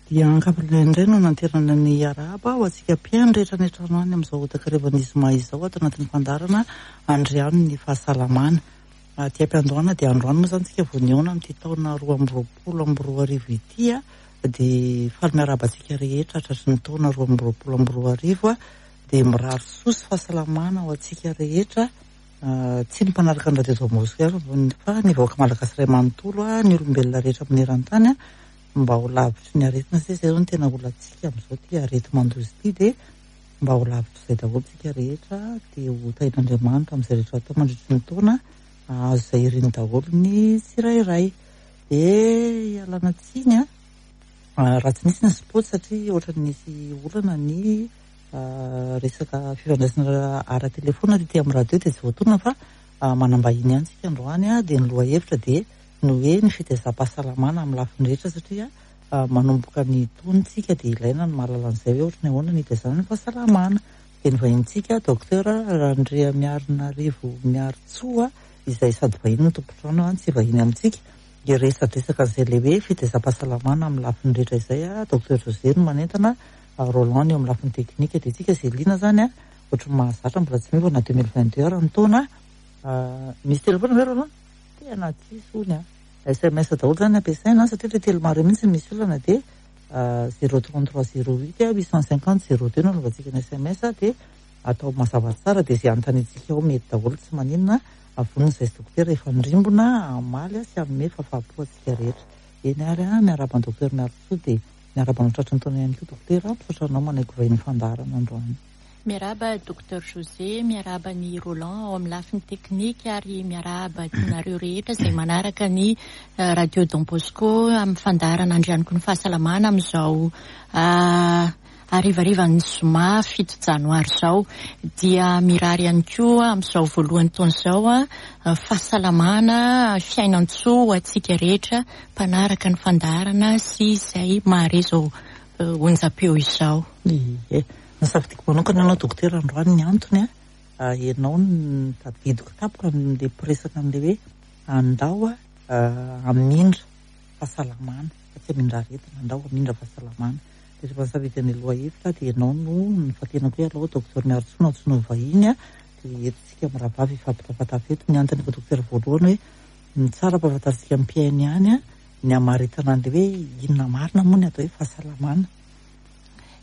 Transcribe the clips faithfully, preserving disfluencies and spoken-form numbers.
Dia ankapobeny indray no nanterana ny arahaba ho antsika mpihaino rehetra any an-trano any amin'izao takarivan'ny zoma izao ato anatin'ny fandaharana Andriano ny fahasalamana. Aty am-piandohana dia androany moa izany tsika vao nihaona amin'ity taona roa amby roapolo amby roa arivo ity a, dia faly miarahaba antsika rehetra tratry ny taona roa amby roapolo amby roa arivo a, dia mirary soa sy fahasalamana ho antsika rehetra. Tsy ny mpanaraka ny radio Don Bosco ihany fa ny vahoaka malagasy iray manontolo a, ny olombelona rehetra maneran-tany a, mba ho lavitry ny aretina satria izay zao no tena olantsika amin'izao ity areti-mandoza ity, dia mba ho lavitr'izay daholo tsika rehetra, dia ho tahin'Andriamanitra amin'izay rehetra atao mandritry ny taona, hahazo izay iriny daholo ny tsirairay. Dia ialana tsiny a, raha tsy nisy ny spot satria ohatran'ny nisy olana ny resaka fifandraisana ara-telefona tety amin'ny radio dia tsy voatonona fa manam-bahiny ihany tsika androany a, dia ny lohahevitra dia ny hoe ny fitaizam-pahasalamana amin'ny lafiny rehetra satria manomboka ny taontsika dia ilaina ny mahalala an'izay hoe ohatran'ny ahoana ny fitaizana ny fahasalamana. Dia ny vahinintsika docteur Randriamiarinarivo Miaritsoa izay sady vahiny no tompon-trano tsy vahiny amintsika, hiresadresaka an'izay ilay hoe fitaizam-pahasalamana amin'ny lafiny rehetra izay a. Docteur José no manentana, Roland eo amin'ny lafiny teknika, dia tsika izay liana zany a, ohatran'ny mahazatra mbola tsy miova na deux mille vingt deux ary ny taona. Misy telefona ve Roland? Tena tsisy hono a. S M S daholo zany ampiasaina satria ilay telomaro mihitsy misy olana dia zéro trente-trois zéro huit huit cent cinquante zéro deux no anaovantsika ny S M S, dia atao mazava tsara dia izay anontaniantsika ao mety daholo, tsy maninona, avonona izay sy dokotera efa nirimbona hamaly sy hanome fahafahampo antsika rehetra. Eny ary a, miarahaba ny docteur Miaritsoa dia miarahaba anao tratry ny taona ihany koa dokotera, misaotra anao manaiky vahiny fandaharana androany. Miarahaba docteur José, miarahaba ny Roland ao amin'ny lafiny teknika ary miarahaba anareo rehetra izay manaraka ny Radio Don Bosco amin'ny fandaharana Andrianiko ny fahasalamana amin'izao harivarivan'ny zoma fito janoary izao. Dia mirary ihany koa amin'izao voalohan'ny taona izao fahasalamana, fiainan-tsoa ho antsika rehetra mpanaraka ny fandaharana sy izay mahare izao onjam-peo izao. Ie. Nasafidiko manokana ianao dokotera androany, ny antony a, ianao no tadidiko tampoka amin'ilay mpiresaka amin'ilay hoe andao hamindra fahasalamana fa tsy hamindra aretina, andao hamindra fahasalamana. Dia rehefa nisafidy an'ilay lohahevitra dia ianao no nifantenako hoe alao docteur Miaritsoa no antsoina ho vahiny a, dia eto tsika mirahavavy hifampitafatafa eto. Ny antony efa dokotera voalohany hoe ny tsara ampahafantarintsika amin'ny mpihaino ihany a, ny hamaritana an'ilay hoe inona marina moa ny atao hoe fahasalamana.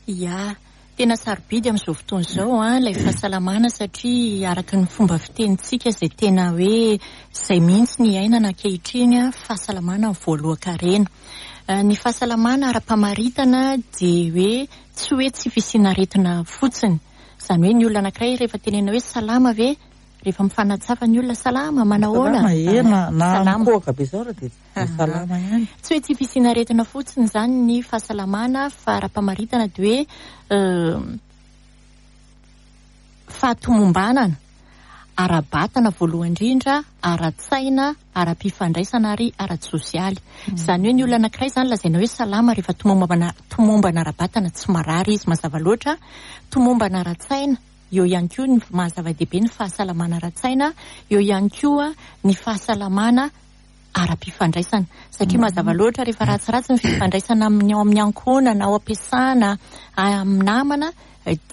Ia, tena sarobidy amin'izao fotoana izao a ilay fahasalamana satria araka ny fomba fitenintsika izay tena hoe izay mihitsy ny iainana ankehitriny a, fahasalamana ny voalohan-karena. Ny fahasalamana ara-pamaritana dia hoe tsy hoe tsy fisiana aretina fotsiny. Izany hoe ny olona anankiray rehefa tenenina hoe salama ve, rehefa mifanatsafa ny olona salama, manahoana? Salama e, na, na Salama. mikohaka be izao raha dia salama ihany. Tsy hoe tsy fisiana aretina fotsiny izany ny fahasalamana fa ara-pamaritana dia hoe fahatomombanana ara-batana voalohany indrindra, ara-tsaina, ara-pifandraisana ary ara-tsosialy. Izany hoe ny olona anankiray izany lazaina hoe salama rehefa tomombana, tomombana ara-batana, tsy marary izy mazava loatra, tomombana ara-tsaina, eo ihany koa ny maha zava-dehibe ny fahasalamana ara-tsaina, eo ihany koa ny fahasalamana ara-pifandraisana satria mazava loatra rehefa ratsiratsy ny fifandraisana amin'ny ao amin'ny ankohonana, ao am-piasana, amin'ny namana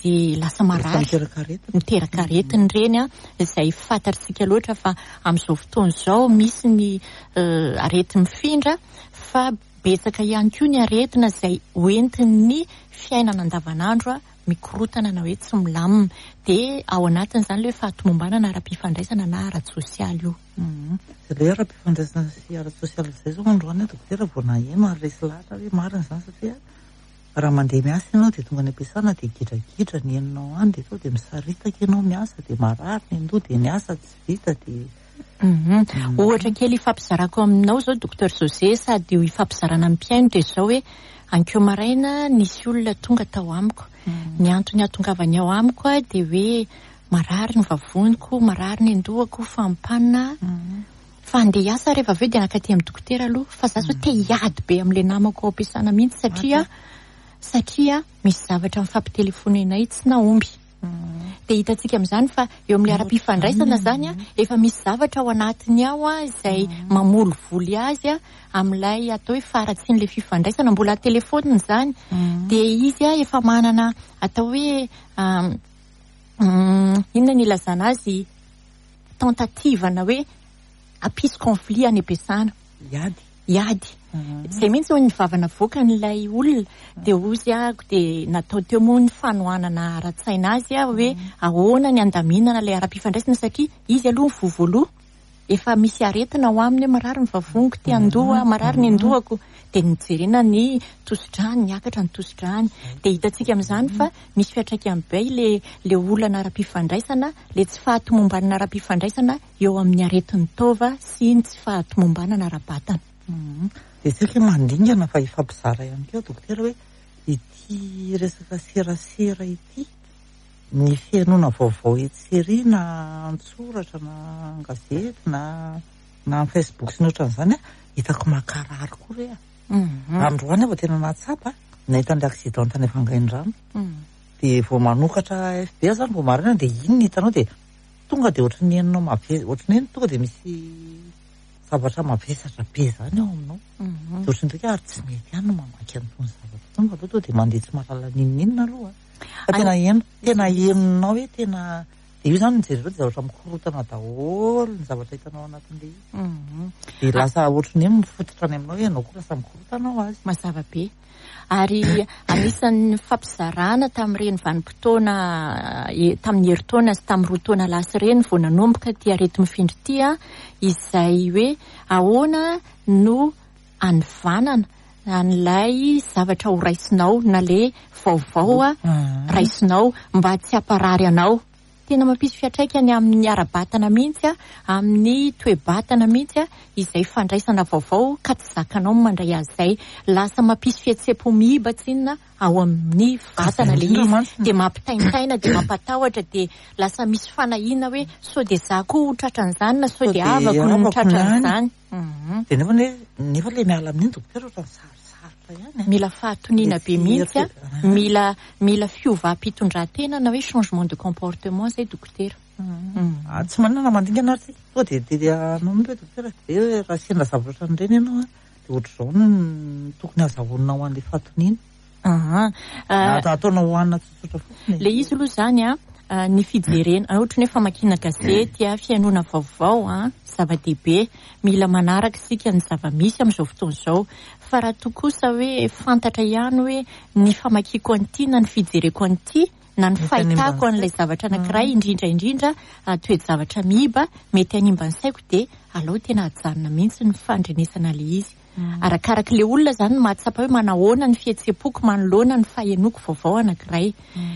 dia lasa marary, miteraka aretina. Miteraka aretina ireny a, izay fantatsika loatra fa amin'izao fotoana izao misy ny areti-mifindra fa betsaka ihany koa ny aretina izay hoentin'ny fiainana andavanandro a, mikorotana na hoe tsy milamina. Dia ao anatin'izany ilay hoe fahatomombanana ara-pifandraisana na ara-tsosialy io. Izay ilay ara-pifandraisana sy ara-tsosialy izay izao androany dokotera vao naheno ary resy lahatra hoe marina izany satria raha mandeha miasa ianao dia tonga any am-piasana dia gidragidra ny henonao any dia tonga dia misaritaka ianao miasa dia marary ny andoha dia ny asa tsy vita dia Ohatra kely ifampizarako aminao izao docteur José sady io ifampizarana amin'ny mpihaino dia izao hoe ankeo maraina nisy olona tonga tao amiko. Ny antony hahatongavany ao amiko a dia hoe marary ny vavoniko, marary ny andohako, fampanina. Fa andeha hiasa rehefa avy eo dia nankaty amin'ny dokotera aloha fa za zao te hiady be amin'ilay namako ao am-piasana mihitsy satria satria misy zavatra mifampitelefonenay tsy nahomby. Dia hitantsika amin'izany fa eo amin'ilay ara-pifandraisana zany a, efa misy zavatra ao anatiny ao a, izay mamolivoly azy a amin'ilay atao hoe faharatsian'ilay fifandraisana, mbola telefonina izany. Dia izy a efa manana atao hoe inona ny ilazana azy, tentative-na hoe hampisy conflit any am-piasana. Hiady. Hiady. Izay mihitsy ny vava navoakan'ilay olona. Dia hozy ahako, dia natao teo moa ny fanohanana ara-tsaina azy a, hoe ahoana ny andaminana ilay ara-pifandraisana, satria izy aloha ny voa voaloha efa misy aretina ao aminy hoe marary ny vavoniko, ty andoha, marary ny andohako. Dia nijerena ny tosi-drany, niakatra ny tosi-drany. Dia hitantsika amin'izany fa misy fiantraikany be le le olana ara-pifandraisana, le tsy fahatomombanana ara-pifandraisana eo amin'ny aretin'ny taova sy ny tsy fahatomombanana ara-batana. Dia tsika mandingana fa hifampizara ihany koa dokotera hoe ity resaka serasera ity, ny fihainoana vaovao etsy ery na an-tsoratra na an-gazety na na amin'ny Facebook sy ny ohatran'izany, hitako makarary koa re. Androany aho vao tena nahatsapa nahita an'ilay accident tany Vangaindrano. Dia vao manokatra F B zany vao maraina dia iny ny hitanao, dia tonga dia ohatran'ny henonao mave-, ohatran'ny hoe tonga dia misy zavatra mavesatra be zany ao aminao. Dia ohatran'ny hoe ary tsy mety ihany no mamaky an'itony zavatra itony fa aloha tonga dia mandeha tsy mahalala n'inon'inona aloha. Fa tena heno, tena henonao hoe tena dia io zany mijery ireo dia zavatra mikorotana daholo ny zavatra hitanao anatin'ilay izy. Dia lasa ohatran'ny hoe mifototra any aminao hoe ianao koa lasa mikorotana ho azy. Mazava be. Ary anisan'ny fampizarana tamin'ireny vanim-potoana, e, tamin'ny herintaona sy tamin'ny roa taona lasa ireny vao nanomboka ity areti-mifindra ity a, izay hoe ahoana no anivanana an'ilay zavatra ho raisinao na le vaovao a, raisinao mba tsy hamparary anao. Tena mampisy fiantraikany amin'ny ara-batana mihitsy a, amin'ny toe-batana mihitsy a, izay fandraisana vaovao ka tsy zakanao ny mandray azy izay. Lasa mampisy fihetseham-po miiba tsinona ao amin'ny vatana le izy, dia mampitaintaina, dia mampatahotra, dia lasa misy fanahiana hoe sao dia za koa ho tratran'izany na sao dia havako no tratran'izany. Dia nefa ne, nefa le miala amin'iny dokotera ohatran'ny sarosarotra ihany. Mila fahatoniana be mihitsy a, mila, mila fiovam-pitondran-tena na hoe changement de comportement zay dokotera. Ah, tsy manana mandingana ary tsika. Tonga dia, dia, dia anao mihitsy hoe dokotera, dia hoe raha sendra zavatra ohatran'ireny ianao a, dia ohatr'izao no tokony azahoanao an'ilay fahatoniana. Aha. Na ataonao hohanina tsotsotra fotsiny. Le izy aloha zany a, ny fijerena, ohatran'ny hoe famakiana gazety a, fihainoana vaovao a, zava-dehibe, mila manaraka isika ny zava-misy amin'izao fotoana izao. Fa raha toa kosa hoe fantatra ihany hoe ny famakiako an'ity na ny fijereko an'ity na ny Mety fahitako hanimba ny an'ilay saiko. zavatra anankiray, indrindra indrindra, toe-javatra miiba, mety hanimba ny saiko, dia aleo tena ajanona mihitsy ny fandrenesana ilay izy. Arakaraka ilay olona zany mahatsapa hoe manahoana ny fihetseham-poko manoloana ny fahenoko vaovao anankiray.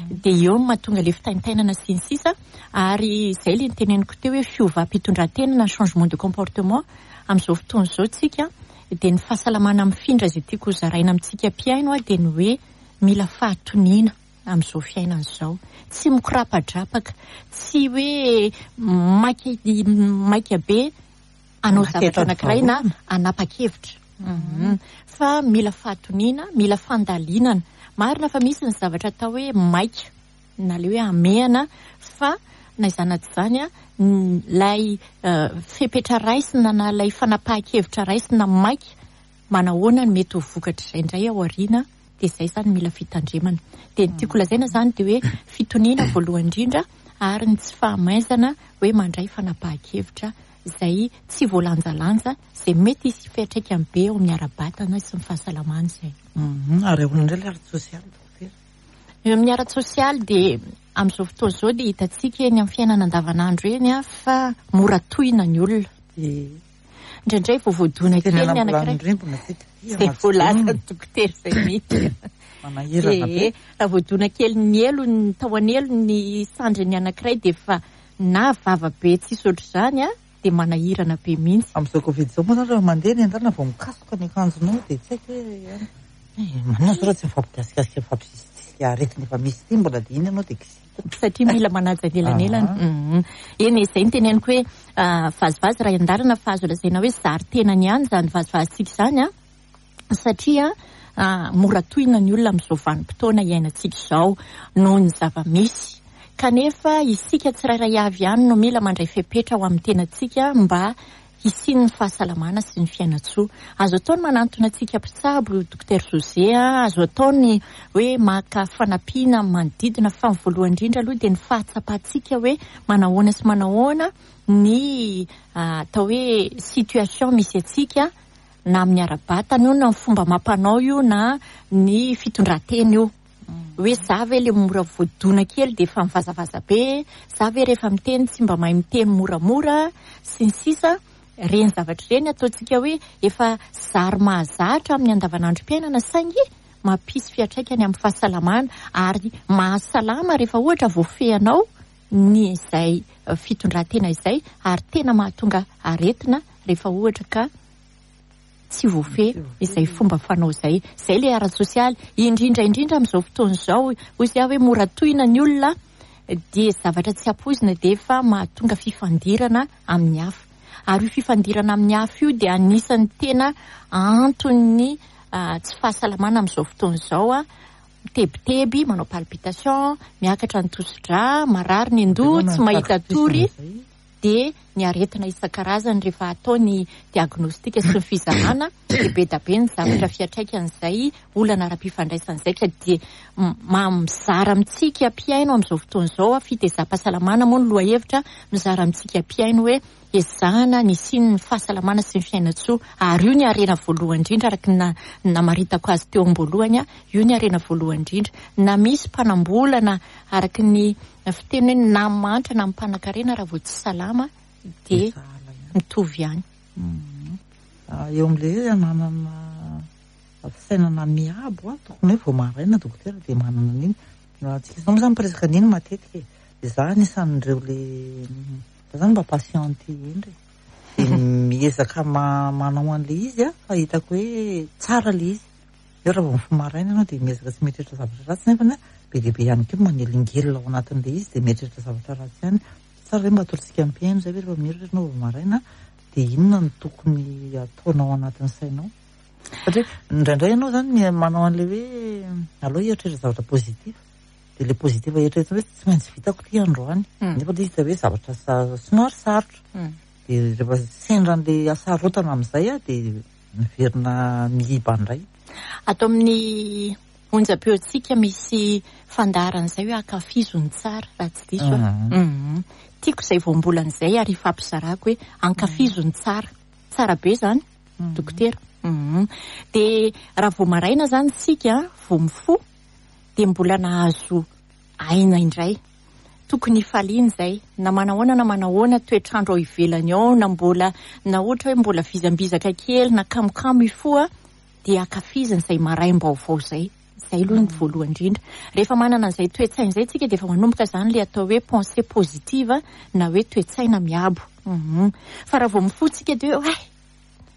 Dia eo no mahatonga ilay fitaintainana sy ny sisa. Ary izay ilay niteneniko teo hoe fiovam-pitondran-tena na changement de comportement amin'izao fotoana izao tsika, dia ny fahasalamana mifindra izay tiako hozaraina amintsika mpihaino a, dia ny hoe mila fahatoniana amin'izao fiainana izao. Tsy mikorapadrapaka, tsy hoe maika, maika be hanao Maika zavatra hitady anankiray na vahaolana. hanapa-kevitra. Fa mila fahatoniana, mila fandalinana. Marina fa misy ny zavatra atao hoe maika na le hoe hamehana, fa na izany na tsy izany a, ilay, eh, fepetra raisina na ilay fanapahan-kevitra raisina maika, manahoana ny mety ho vokatr'izay indray ao aoriana, dia izay izany mila fitandremana. Dia ny tiako lazaina izany dia hoe fitoniana voalohany indrindra, ary ny tsy fahamaizana hoe mandray fanapahan-kevitra izay tsy voalanjalanja, izay mety hisy fiantraikany be eo amin'ny ara-batana sy ny fahasalamana izay. Mhm. Ary ahoana indray ilay ara-tsosialy, dokotera? Eo amin'ny ara-tsosialy dia amin'izao fotoana izao dia hitantsika eny amin'ny fiainana andavanandro eny a, fa mora tohina ny olona. Dia indraindray vao voadona Tena kely ny anankiray. nampilamin-drembona tsika ity, Izay anaty voalaza vonona. dokotera izay mihitsy. Manahirana be. Ee, raha voadona kely ny elo, ny tao an'elo ny sandriny anankiray dia efa na vava be tsisy ohatr'izany a, dia manahirana be mihitsy. Amin'izao Covid izao moa zany rehefa mandeha ny an-dalana vao mikasoka ny akanjonao dia tsy haiko hoe ihany. Eh, manina zao raha tsy mifampigasikasika, mifampisisika aretina efa misy ity, mbola dia iny ianao dia kisita. Satria mila manaja ny elanelana. Aha. Mhm. Eny, izay no teneniko hoe, ah, vazivazy raha an-dalana fa azo lazaina hoe zary tenany ihany izany vazivazintsika izany a, satria, ah, mora tohina ny olona amin'izao vanim-potoana iainantsika izao noho ny zava-misy. Kanefa isika tsirairay avy ihany no mila mandray fepetra ho amin'ny tenantsika mba hisian'ny fahasalamana sy ny fiainantsoa. Azo atao ny manantona antsika mpitsabo, Docteur José, azo atao ny hoe maka fanampiana manodidina, fa ny voalohany indrindra aloha dia ny fahatsapantsika hoe manahoana sy manahoana ny atao hoe situation misy antsika, na amin'ny ara-batana io, na ny fomba mampanao io, na ny fitondran-tena io. Hoe za ve le mora voadona kely dia efa mivazavaza be, za ve rehefa miteny tsy mba mahay miteny moramora sy ny sisa. Ireny zavatra ireny ataontsika hoe efa zary mahazatra amin'ny andavanandrom-piainana, saingy mampisy fiantraikany amin'ny fahasalamana, ary mahasalama rehefa ohatra voafehinao ny izay fitondran-tena izay, ary tena mahatonga aretina rehefa ohatra ka tsy voafehy izay fomba fanao izay. Izay ilay ara-tsosialy, indrindra indrindra amin'izao fotoana izao, hoy izy hoe mora tohina ny olona, dia zavatra tsy ampoizina dia efa mahatonga fifandirana amin'ny hafa. Ary io fifandirana amin'ny hafa io dia anisan'ny tena anton'ny tsy fahasalamana amin'izao fotoana izao. A mitebiteby, manao palpitation, miakatra ny tosidra, marary ny andoha, tsy mahita tory, dia ny aretina isan-karazany rehefa atao ny diagnostika sy ny fizahana dia be dia be ny zavatra fiantraikan'izay olana ara-pifandraisana izay. Ka dia mizara amintsika mpihaino amin'izao fotoana izao, fitezam-pahasalamana moa ny lohahevitra, mizara amintsika mpihaino hoe ezahana ny hisian'ny fahasalamana sy ny fiainantsoa. Ary io ny harena voalohany indrindra, araka ny namaritako azy teo am-boalohany, io ny harena voalohany indrindra. Na misy mpanambola na araka ny fiteny hoe na mahantra na mpanankarena, raha vao tsy salama dia mitovy ihany. Eo amin'ilay hoe ananana fisainana miabo, tokony hoe vao maraina dokotera dia manana an'iny. Tsika izao moa izany miresaka an'iny matetika e. Izaho anisan'ireo le za zany mba patiente indry dia miezaka manao an'ilay izy a, fa hitako hoe tsara ilay izy. Eo raha vao mifoha maraina ianao dia miezaka tsy mieritreritra zavatra ratsy, nefa be dia be ihany koa manelingelina ao anatin'ilay izy dia mieritreritra zavatra ratsy ihany. Tsara hoe mba atolotsika mpihaino izay hoe rehefa mieritreritra ianao vao maraina dia inona no tokony ataonao anatin'ny sainao. Satria indraindray ianao zany manao an'ilay hoe aleo hieritreritra zavatra positif, dia ilay positif eritreretina hoe tsy maintsy vitako ity androany, nefa ilay izy hoe zavatra somary sarotra, dia rehefa sendra an'ilay hasarotana amin'izay a dia miverina miiba indray. Ato amin'ny onjam-peontsika misy fandaharana izay hoe ankafizo ny tsara, raha tsy diso aho. Tiako izay voambolana izay ary ifampizarako hoe ankafizo ny tsara. Tsara be izany, dokotera. Dia raha vao maraina izany isika, vao mifoha, dia mbola nahazo aina indray. Tokony hifaliana izay, na manahoana na manahoana toetr'andro ao ivelany ao, na mbola, na ohatra hoe mbola vizambizaka kely, na kamokamo hifoha, dia ankafizina izay maraim-baovao izay. Izay aloha ny voalohany indrindra. Rehefa manana an'izay toe-tsaina izay tsika dia efa manomboka izany ilay atao hoe pensée positive na hoe toe-tsaina miabo. Fa raha vao mifoha tsika dia hoe, ay,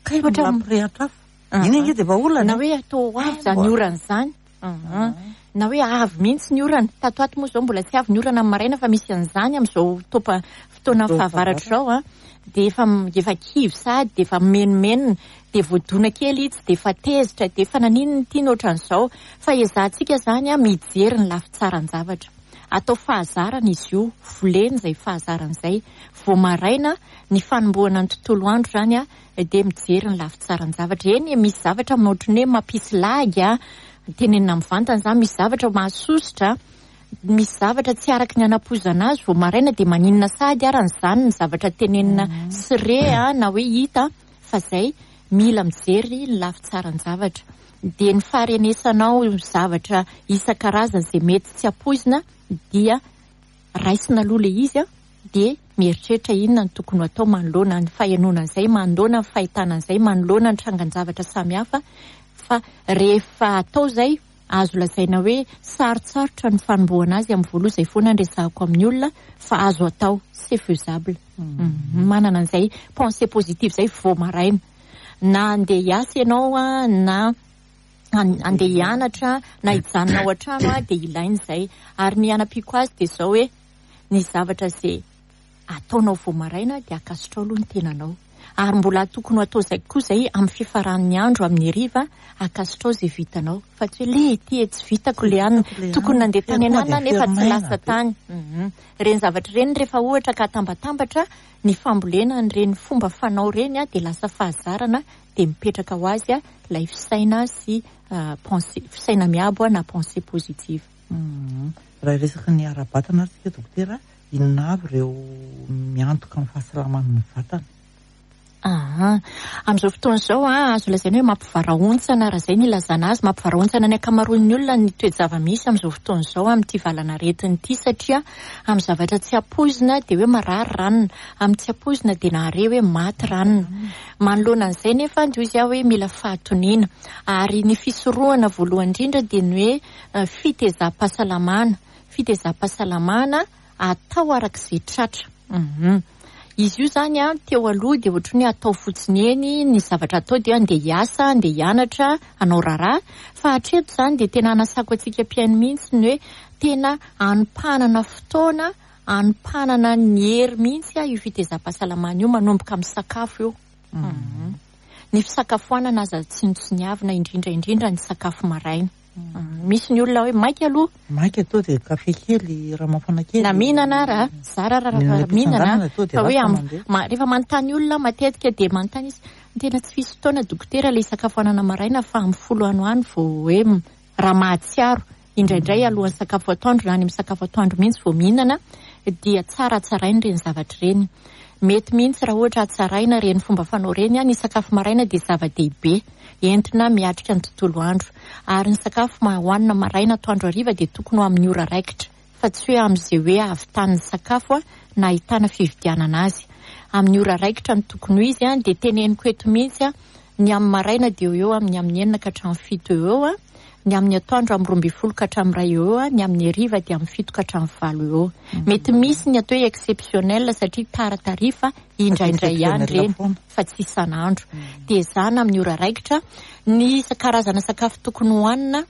Kay ohatra mbola mirehitra hafa. Iny ange dia efa olana. Na hoe atao ho avy izany orana izany. Na hoe avy mihitsy ny orana. Tato ato moa izao mbola tsy avy ny orana amin'ny maraina, fa misy an'izany amin'izao topa fotoana fahavaratra izao a. Dia efa efa kivy sady, dia efa menomenona, dia voadona kely izy, dia efa tezitra, dia efa naninona ity ny ohatran'izao. Fa ezahantsika izany a mijery ny lafy tsaran-javatra. Atao fahazarana izy io, volena izay fahazarana izay. Vao maraina ny fanombohana ny tontolo andro izany a, dia mijery ny lafy tsaran-javatra. Eny, misy zavatra ohatran'ny hoe mampisy lagy a, tenenina mivantana izany, misy zavatra mahasosotra, misy zavatra tsy araka ny anampoizana azy. Vao maraina dia maninona sady ary an'izany ny zavatra tenenina sy re a, na hoe hita, fa izay mila mijery ny lafy tsaran-javatra. Dia ny faharenesanao zavatra isan-karazany izay mety tsy ampoizina dia raisina aloha ilay izy a, dia mieritreritra inona no tokony ho atao manoloana ny fahenoana an'izay, manoloana ny fahitana an'izay, manoloana ny trangan-javatra samihafa. Fa rehefa atao izay, azo lazaina hoe sarotsarotra ny fanombohana azy amin'ny voalohany, izay foana no resahako amin'ny olona, fa azo atao, c'est faisable. Manana an'izay pensée positive izay vao maraina. Na andeha hiasa ianao a, na andeha hianatra, na hijanona ao an-trano a, dia ilaina izay. Ary ny hanampiako azy dia izao hoe ny zavatra izay ataonao vao maraina dia ankasitrao aloha ny tenanao. Ary mbola tokony ho atao izay koa izay amin'ny fifaran'ny andro, amin'ny hariva, ankasitrao izay vitanao. Fa tsy hoe le ty tsy vitako le anina, tokony nandeha tany anana nefa tsy lasa tany. Ireny zavatra ireny rehefa ohatra ka atambatambatra ny fambolena an'ireny fomba fanao ireny dia lasa fahazarana, dia mipetraka ho azy ilay fisaina sy pensée, fisaina miabo na pensée positive. Raha resaka ny ara-batana ary tsika dokotera, inona avy ireo miantoka amin'ny fahasalaman'ny vatana? Ah, amin'izao fotoana izao azo lazaina hoe mampivarahontsana, raha izay ny ilazana azy, mampivarahontsana ny ankamaroan'ny olona ny toe-java-misy amin'izao fotoana izao amin'ity valanaretina ity, satria amin'ny zavatra tsy ampoizina dia hoe marary ranona, amin'ny tsy ampoizina dia nahare hoe maty ranona. Manoloana an'izay nefa dia hoy aho hoe mila fahatoniana, ary ny fisorohana voalohany indrindra dia ny hoe fitezam-pahasalamana, fitezam-pahasalamana atao arak'izay tratra. Izy io zany a teo aloha dia ohatran'ny hoe atao fotsiny eny ny zavatra atao, dia andeha hiasa, andeha hianatra, hanao raharaha, fa hatreto zany dia tena anasako antsika mpihaino mihitsy ny hoe tena anompanana fotoana, anompanana ny hery mihitsy io fitezam-pahasalamana io, manomboka amin'ny sakafo io. Ny fisakafoanana aza tsinontsiniavina, indrindra indrindra ny sakafo maraina. Misy ny olona hoe maika aloha, maika atao dia kafe kely, raha mafana kely, na mihinana raha zara raha mihinana, fa hoe rehefa manontany olona matetika dia manontany izy, tena tsy fisy fotoana dokotera ilay sakafoanana maraina fa amin'ny folo ano any vao hoe raha mahatsiaro, indraindray alohan'ny sakafo atoandro na any amin'ny sakafo atoandro mihitsy vao mihinana, dia tsara tsaraina ireny zavatra ireny. Mety mihitsy raha ohatra hatsaraina ireny fomba fanao ireny, ny sakafo maraina dia zava-dehibe entina miatrika ny tontolo andro, ary ny sakafo hohanina maraina atoandro hariva dia tokony ho amin'ny ora raikitra, fa tsy hoe amin'izay hoe ahavitany sakafo na ahitana fividianana azy. Amin'ny ora raikitra no tokony ho izy, dia teneniko eto mihitsy, ny amin'ny maraina dia eo eo amin'ny amin'ny enina ka hatramin'ny fito eo eo, ny amin'ny atoandro amin'ny roa ambin'ny folo ka hatramin'ny iray eo eo, ny amin'ny hariva dia amin'ny fito ka hatramin'ny valo eo eo. Mety misy ny atao hoe exceptionnel satria taratarifa indraindray ihany ireny fa tsy isan'andro. Dia ezahana amin'ny ora raikitra. Ny karazana sakafo tokony hohanina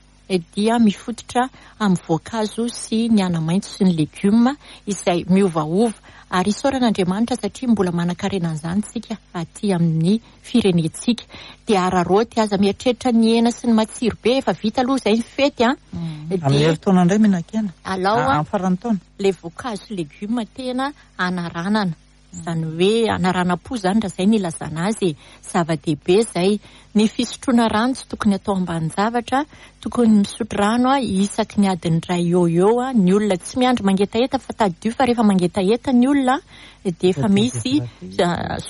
dia mifototra amin'ny voankazo sy ny ana-maitso sy ny legioma izay miovaova, ary isaoran'Andriamanitra satria mbola manan-karena an'izany tsika aty amin'ny firenentsika. Dia araraoty, aza mieritreritra ny hena sy ny matsiro be, efa vita aloha izay ny fety a. Amin'ny herintaona indray mihinan-kena. Alao amin'ny faran'ny taona. Ilay voankazo sy legioma tena anaranana, izany hoe anaranam-po izany raha izay ny ilazana azy, zava-dehibe izay. Ny fisotroana rano tsy tokony atao ambanin-javatra, tokony misotro rano isaky ny adiny iray eo eo ny olona, tsy miandry mangetaheta, fa tadidio fa rehefa mangetaheta ny olona dia efa misy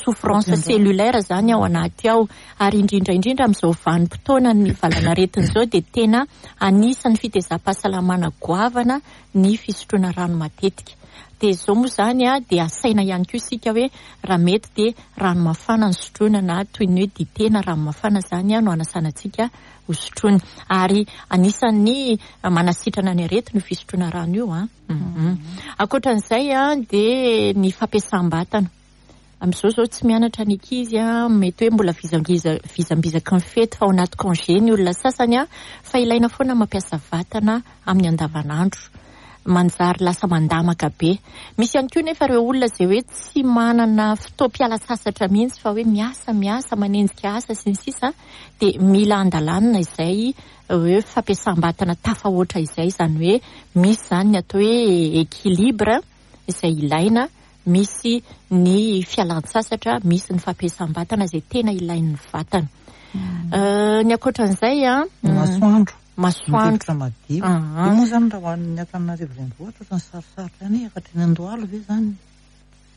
souffrance cellulaire zany ao anaty ao, ary indrindra indrindra amin'izao vanim-potoana ny valanaretina izao dia tena anisan'ny fitezam-pahasalamana goavana ny fisotroana rano matetika. Dia izao moa izany dia asaina ihany koa isika hoe raha mety dia rano mafana no sotroina, na toy ny hoe dite na rano mafana izany no anasana antsika ho sotroina, ary anisan'ny manasitrana ny aretina io fisotroana rano io. Ankoatran'izay dia ny fampiasam-batana. Amin'izao izao tsy mianatra ny ankizy, mety hoe mbola vizambiza vizambizaky ny fety fa ao anaty congé ny olona sasany, fa ilaina foana mampiasa vatana amin'ny andavanandro, manjary lasa mandamaka be. Misy ihany koa nefa ireo olona izay hoe tsy manana fotoam-piala sasatra mihitsy fa hoe miasa miasa manenjika asa sy ny sisa, dia mila andalanina izay hoe fampiasam-batana tafahoatra izay, izany hoe misy izany ny atao hoe équilibre izay ilaina, misy ny fialan-tsasatra, misy ny fampiasam-batana izay tena ilain'ny vatana. Ny ankoatran'izay a, masoandro, masoandro madio. Io moa izany raha ho an'ny Antananarivo renivohitra ohatran'ny sarosarotra ihany, efa hatreny Andohalo ve izany?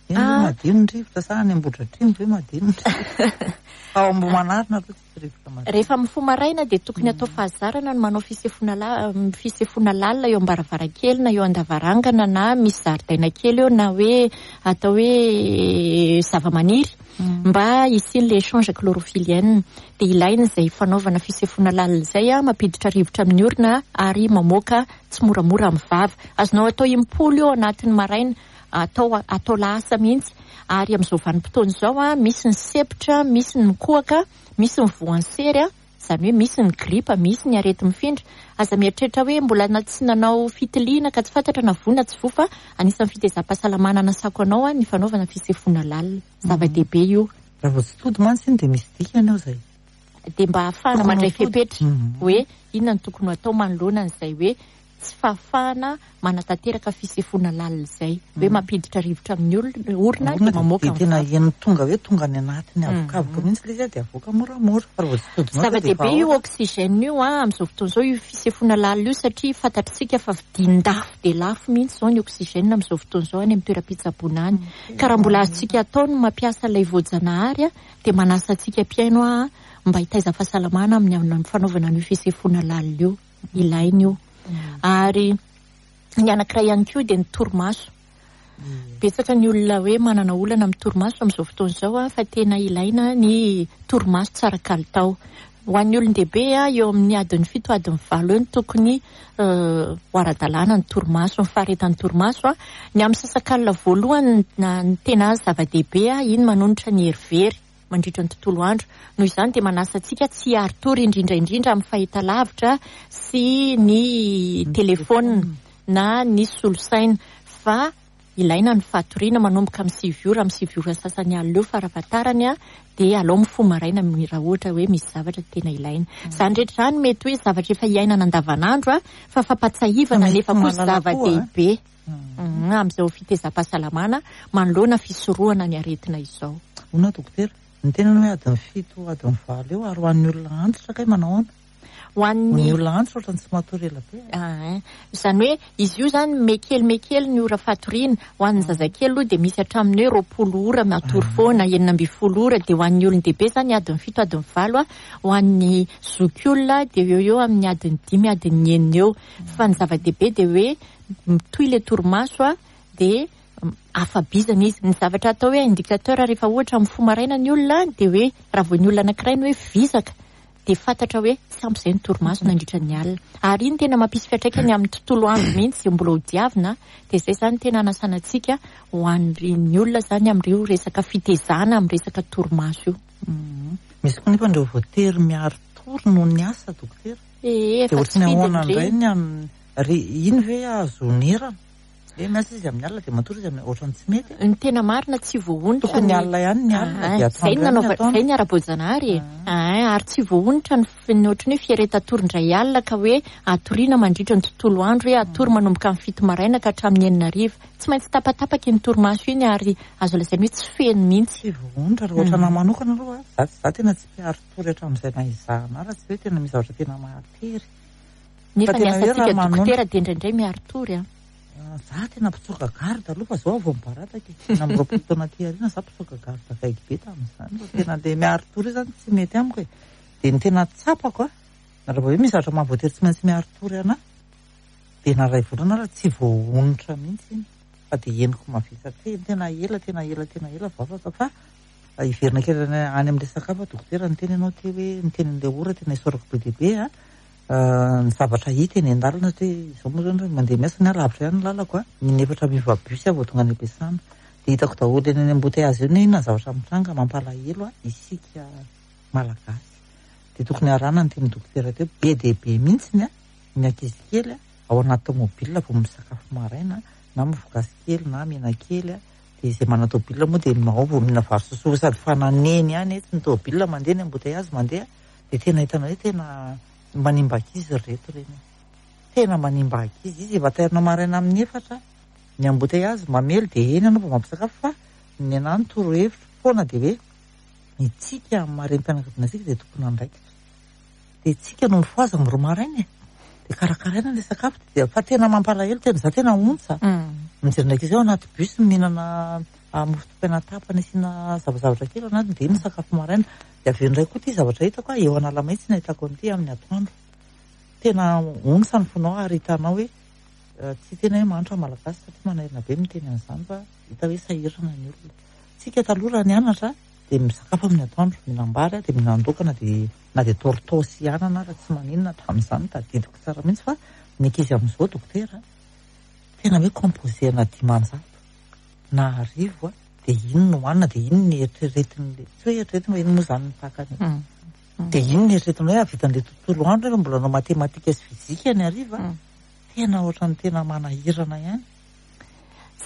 Eny ve madio ny rivotra sa any Ambohidratrimo ve madio ny rivotra? Ao Ambohimanarina aloha tsy rivotra madio. Rehefa mifoha maraina dia tokony atao fahazarana ny manao fisefoana la- fisefoana lalina eo am-baravarankely na eo an-davarangana na misy zaridaina kely eo, na hoe atao hoe zava-maniry mba hisian'ilay échange chlorophyllienne. Dia ilaina izay fanaovana fisefoana lalina izay, mampiditra rivotra amin'ny orona ary mamoaka tsy moramora amin'ny vava. Azonao atao impolo eo anatin'ny maraina, atao atao lahasa mihitsy. Ary amin'izao vanim-potoana izao misy ny sepotra, misy ny mikohaka, misy ny voansery, izany hoe misy ny gripa, misy ny areti-mifindra. Aza mieritreritra hoe mbola na tsy nanao fitiliana ka tsy fantatra na voa na tsy voa, fa anisan'ny fitezam-pahasalamana anasako anao ny fanaovana fisefoana lalina. Zava-dehibe io. Raha vao tsy tody mantsy iny dia misy dikany ao izay. Dia mba ahafahana Tokony ho mandray tody. fepetra Mhm. hoe inona no tokony ho atao manoloana an'izay hoe tsy fahafahana manatanteraka fisefoana lalina izay, hoe mampiditra rivotra amin'ny olona orona Orona dia dia mamoaka dia ny tena vava. eny tonga hoe tonga any anatiny avokavoka mihitsy ilay izy dia avoaka moramora, fa raha vao tsy todinao dia Zava-dehibe efa io ao. oxygène io a amin'izao fotoana izao, io fisefoana lalina io, satria fantatritsika fa vidin-dafo dia lafo mihitsy izao ny oxygène amin'izao fotoana izao any amin'ny toeram-pitsaboana any. Ka raha mbola azontsika atao ny mampiasa ilay voajanahary a, dia manasa antsika mpihaino a mba hitaiza fahasalamana amin'ny amin'ny fanaovana an'io fisefoana lalina io, ilaina io. Ary ny anankiray ihany koa dia ny torimaso. Betsaka ny olona hoe manana olana amin'ny torimaso amin'izao fotoana izao a, fa tena ilaina ny torimaso tsara kalitao. Ho an'ny olon-dehibe a, eo amin'ny adiny fito, adiny valo eo no tokony eh, ho ara-dalàna ny torimaso, ny faharetan'ny torimaso a. Ny amin'ny sasakalina voalohany na ny tena zava-dehibe a, iny manonitra ny hery very mandritra ny tontolo andro. Noho izany dia manasa antsika tsy hiari-tory indrindra indrindra amin'ny fahitalavitra sy ny telefônina na ny solosaina, fa ilaina ny fatoriana manomboka amin'ny sivy ora, amin'ny sivy ora sasany alina eo farafahatarany a, dia alao mifoha maraina mi- raha ohatra hoe misy zavatra tena ilaina. Izany rehetra izany mety hoe zavatra efa iainana andavanandro a, fa fampatsiahivana Fa mety nefa koa mahalala koa, a. zava-dehibe Mm, amin'izao fitezam-pahasalamana manoloana fisorohana ny aretina izao. Ona dokotera, ny tena hoe adiny fito, adiny valo eo, ary ho an'ny olona antitra kay manao ahoana? Ho an'ny Ny olona antitra ohatran'ny tsy matory ela be. Ah, izany hoe izy io zany mekely mekely ny ora fatoriana. Ho an'ny zazakely aloha dia misy hatramin'ny hoe roapolo ora matory foana, enina ambin'ny folo ora. Dia ho an'ny olon-dehibe zany adiny fito, adiny valo a. Ho an'ny zokiolona dia eo eo amin'ny adiny dimy, adiny enina eo. Fa ny zava-dehibe dia hoe mitohy ilay torimaso a, dia afa-bizana izy. Ny zavatra atao hoe indicateur rehefa ohatra mifoha maraina ny olona dia hoe raha vao ny olona anankiray ny hoe vizaka dia fantatra hoe tsy ampy izay ny torimaso nandritra ny alina. Ary iny tena mampisy fiantraikany amin'ny tontolo andro mihitsy izay mbola ho diavina. Dia izay zany tena anasana antsika ho an'ny olona zany amin'ireo resaka fitezana, amin'ny resaka torimaso io. Mm. Misy koa nefa ireo voatery miari-tory noho ny asa, dokotera. Ee, Dia efa tsy ohatran'ny ahoana fidiny indray ireny. ny amin'ny re iny ve azo onerana? Hoe miasa izy amin'ny alina dia matory izy amin'ny ohatran'ny tsy mety. Ny tena marina tsy voaonitra Tokony ny alina ihany ny alina Ah, dia zay atoandro ny ihany ny nanaova- atoandro. zay ny ara-boajanahary e. Ah, ary tsy voaonitra ny f- ny ohatran'ny hoe fieretan-tory indray alina ka hoe atoriana mandritra ny tontolo andro, hoe atory manomboka amin'ny fito maraina ka hatramin'ny enina hariva. Tsy maintsy tapatapaka iny torimaso iny ary azo lazaina hoe tsy feno mihitsy. Tsy voaonitra raha ohatra anahy manokana aloha, za za tena tsy mpiari-tory hatramin'izay nahizahana ahy, raha tsy hoe tena misy zavatra tena mahatery. Nefa Fa ny tena hoe asantsika raha manonona- dokotera dia indraindray miari-tory a. Ah, za tena mpitsoka garde aloha fa zao vao mibarataka e. Tena amby roapolo taona aty aoriana za mpitsoka garde akaiky be tamin'izany, fa tena le miari-tory io zany tsy mety amiko e. Dia ny tena tsapako a, raha vao hoe misy zavatra mahavoatery tsy maintsy miari-tory anahy, dia na iray volana raha tsy voaonitra mihitsy iny. Fa dia henoko mavesatra eny, tena ela, tena ela, tena ela vao afaka. Fa hiverina kely any any amin'ny resaka hafa, dokotera, niteny ianao teo hoe niteny an'ilay ora tena isaorako be dia be a. Ah, ny zavatra hita eny an-dalana hoe izao moa zany mandeha miasa ny ahy, lavitra ihany ny lalako a, ny efatra miova bus aho vao tonga any am-piasana, dia hitako daholo eny any embouteillage eny hoe inona ny zavatra mitranga. Mampalahelo a isika malagasy, dia tokony arahana ny teny dokotera teo. Be dia be mihitsy ny a ny ankizy kely a ao anaty tomobile vao misakafo maraina, na mofo-gasy kely na mena kely a, dia izay manana tomobile moa dia ao vao mihinana vary sosoa sady fananeny ihany etsy ny tomobile mandeha, ny embouteillage mandeha, dia tena hitanao hoe tena manimba ankizy reto ireny, tena manimba ankizy izy. Efa tairina maraina amin'ny efatra ny embouteillage mamely, dia eny ianao vao mampisakafo. Fa ny anahy ny torohevitro foana dia hoe itsika amin'ny maha renim-pianakaviana antsika dia tompon'andraikitra, dia tsika no mifohaza amin'ny roa maraina e, dia karakaraina ilay sakafo. Dia fa tena mampalahelo, tena za tena ontsa mijery ny ankizy ao anaty bus mihinana ah, mofo dipaina tapany asiana zavazavatra kely ao anatiny, dia iny sakafo maraina. Dia avy eo indray koa ity zavatra hitako a, eo Analamahitsy no ahitako an'ity amin'ny atoandro, tena ontsa ny fonao ary hitanao hoe eh, tsy tena hoe mahantra malagasy satria manahirana be miteny an'izany, fa hita hoe sahirana ny olona. Tsika taloha raha nianatra dia misakafo amin'ny atoandro, mihinam-bary a, dia mihinan-doka na dia na dia tortao sy anana raha tsy maninona tamin'izany, tadidiko tsara mihitsy. Fa ny ankizy amin'izao, dokotera, tena hoe composé-na dimanjato na arivo a, dia iny no hohanina, dia iny ny eritreretin'le, tsy hoe eritreretina fa iny moa zany ny takany, dia iny ny eritreretina hoe hahavitan'le tontolo andro nefa mbola hanao matematika sy fizika ny hariva. Tena ohatran'ny tena manahirana ihany.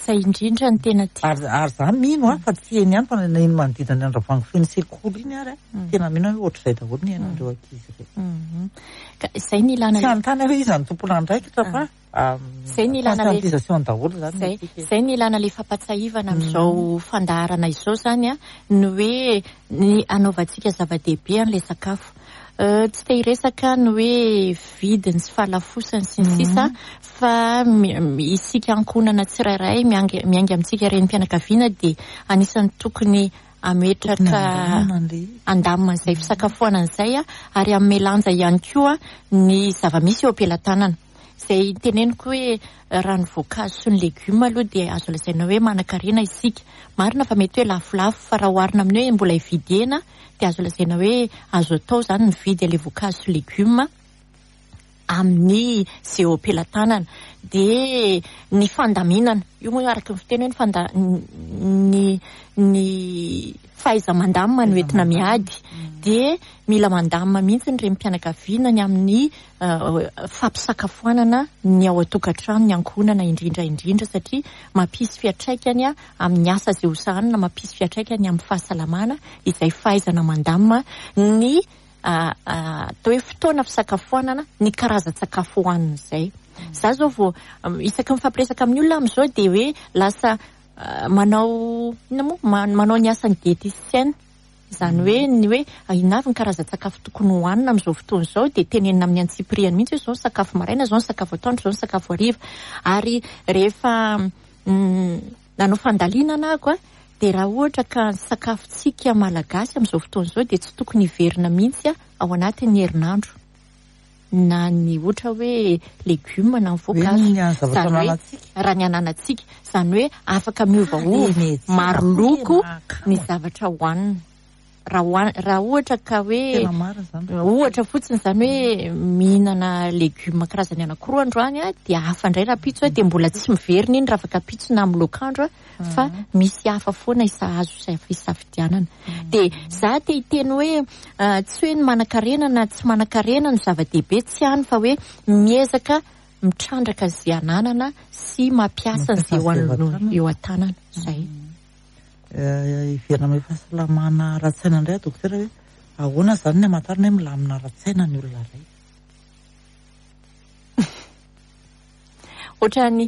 Izay indrindra ny tena tia. Ary ary za mino a fa tsy eny ihany fa na eny manodidina ny Andravoahangy feno sekoly iny ary a tena mino aho hoe ohatr'izay daholo ny iainan'ireo ankizy ireo. Mhm. Ka izay ny ilana Tsy anontany aho hoe iza no tompon'andraikitra fa Izay ny ilana le- conscientisation daholo zany Zay, ny antsika. zay ny ilana le fampatsiahivana amin'izao fandaharana izao zany a ny hoe ny anaovantsika zava-dehibe an'ilay sakafo. Euh, tsy te hiresaka ny hoe vidiny sy fahalafosany sy ny sisa fa mi- mi- isika ankohonana tsirairay miainga miainga amintsika renim-pianakaviana dia anisan'ny tokony ametraka Andamina an'ilay izy. andamina an'izay fisakafoanana izay a ary hanome lanja ihany koa ny zava-misy eo am-pelatanana. Izay teneniko hoe raha ny voankazo sy ny legioma aloha dia azo lazaina hoe manan-karena isika. Marina fa mety hoe lafolafo fa raha oharina amin'ny hoe mbola hividy hena dia azo lazaina hoe azo atao zany mividy ilay voankazo sy legioma amin'ny izay eo am-pelatanana. Dia ny fandaminana, io moa araka ny fiteny hoe ny fanda- ny ny fahaiza-mandamina no entina miady. Dia mila mandamina mihitsy ny renim-pianakaviana ny amin'ny uh, fampisakafoanana ny ao an-tokantrano, ny ankohonana indrindra indrindra, satria mampisy fiantraikany a amin'ny asa izay ho sahanina, mampisy fiantraikany amin'ny fahasalamana izay fahaizana mandamina ny ah, ah, atao hoe fotoana fisakafoanana, ny karazan-tsakafo hohanina izay. Za zao vao um, isaky mifampiresaka amin'ny olona amin'izao dia hoe lasa ah, manao inona moa Ma- manao ny asan'ny diététicienne. Izany hoe ny hoe inona avy ny karazan-tsakafo tokony hohanina amin'izao fotoana izao dia tenenina amin'ny antsipiriany mihitsy hoe izao ny sakafo maraina, izao ny sakafo atoandro, izao ny sakafo hariva. Ary rehefa mm, nanao fandalinana aho a dia raha ohatra ka ny sakafontsika malagasy amin'izao fotoana izao dia tsy tokony hiverina mihitsy a ao anatin'ny herinandro. Na ny ohatra hoe legioma na ny voankazo. Hoe ny zavatra Izany hoe ananantsika. raha ny ananantsika, izany hoe afaka miovaova Eny e, tsy maro loko tena ny mahakamo. zavatra hohanina. Raha hohan- raha ohatra ka hoe Tena marina zany. ohatra fotsiny izany hoe mihinana legioma karazany anankiroa androany a dia hafa indray rahampitso a dia mbola tsy miverina iny raha afaka ampitso na amin'ny loakandro a fa misy hafa foana isa azo isa- isafidianana. Dia za te hiteny hoe ah, tsy hoe ny manan-karena na tsy manan-karena no zava-dehibe, tsy hany fa hoe miezaka mitrandraka izay ananana sy mampiasa Mampiasa izay eo izay eo an- an-tanana. eo an-tanana izay. Eh, hiverina amin'ny fahasalamana ara-tsaina indray dokotera hoe ahoana zany ny hamantarana hoe milamina ara-tsaina ny olona iray? Ohatran'ny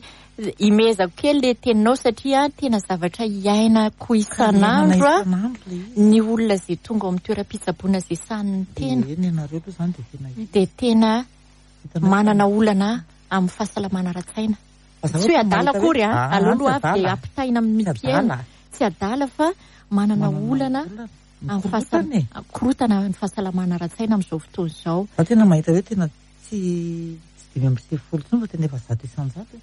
imezako kely le teninao satria tena zavatra iainako isan'andro a Isan'andro le izy. ny olona izay tonga ao amin'ny toeram-pitsaboana izay sahan'ny tena Eny ianareo aloha zany dia tena hita. dia tena Hitanao manana olana amin'ny fahasalamana ara-tsaina. Fa za Tsy hoe ohatra adala mahita hoe- akory a, Ah, aleo aloha tsy avy dia adala. ampitaina amin'ny Tsy mpihaino. adala. Tsy adala fa manana Manana olana olana. amin'ny Mikorotana e. fahasal- korotana ny fahasalamana ara-tsaina amin'izao fotoana izao. Za tena mahita hoe tena tsy tsy dimy amby sivifolo intsony fa tena efa zato isan-jato e.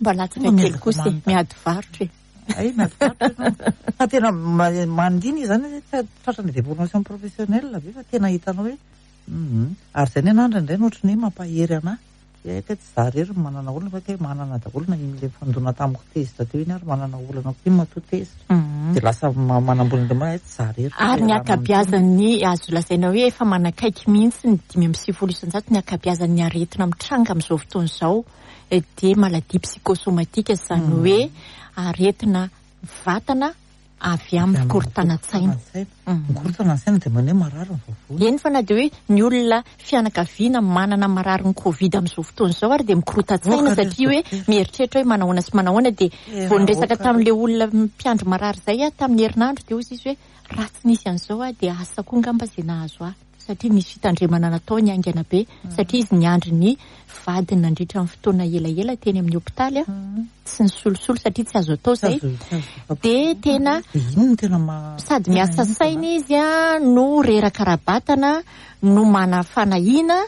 Mba latsaka Tonga kely miezaka kosa e, manontany. miady varotra e. Ay, miady varotra ianao. Fa tena ma- mandiny izany hoe tsy tratran'ny déformation professionnelle ve fa tena hitanao hoe mhm. Ary izay ny anahy indraindray no ohatran'ny hoe mampahery anahy. Hoe kay tsy za irery no manana olana fa kay manana daholo na iny le fandona tamiko tezitra teo iny ary manana olana koa iny matoa tezitra. Dia lasa ma- manambony indray hoe tsy za irery fa Ary ny raha ankabeazan'ny azo lazaina hoe efa manakaiky mihitsy ny dimy amby sivifolo isan-jato ny ankabeazan'ny aretina mitranga amin'izao fotoana izao eh, dia maladie psychosomatique, izany hoe aretina vatana avy amin'ny fikorontanan-tsaina. Mhm. Mikorotana ny saina dia maneo marary ny vavony. Eny fa na dia hoe ny olona fianakaviana manana mararin'ny Covid amin'izao fotoana izao ary dia mikorotan-tsaina Oka, satria hoe dokotera. mieritreritra hoe manahoana sy manahoana dia Tena vao niresaka oka. tamin'ilay olona mpiandry marary izay aho tamin'ny herinandro dia hoy izy hoe raha tsy nisy an'izao aho dia asa koa angamba izay nahazo ahy satria nisy fitandremana natao ny haingana be satria izy niandry ny vadiny nandritra ny fotoana elaela teny amin'ny hopitaly a tsy nisolosolo satria tsy azo atao Tsy izay. azo- tsy azo- Dia tena Dia ino no tena ma- sady tena miasa ino saina izy a no reraka ara-batana no mana fanahiana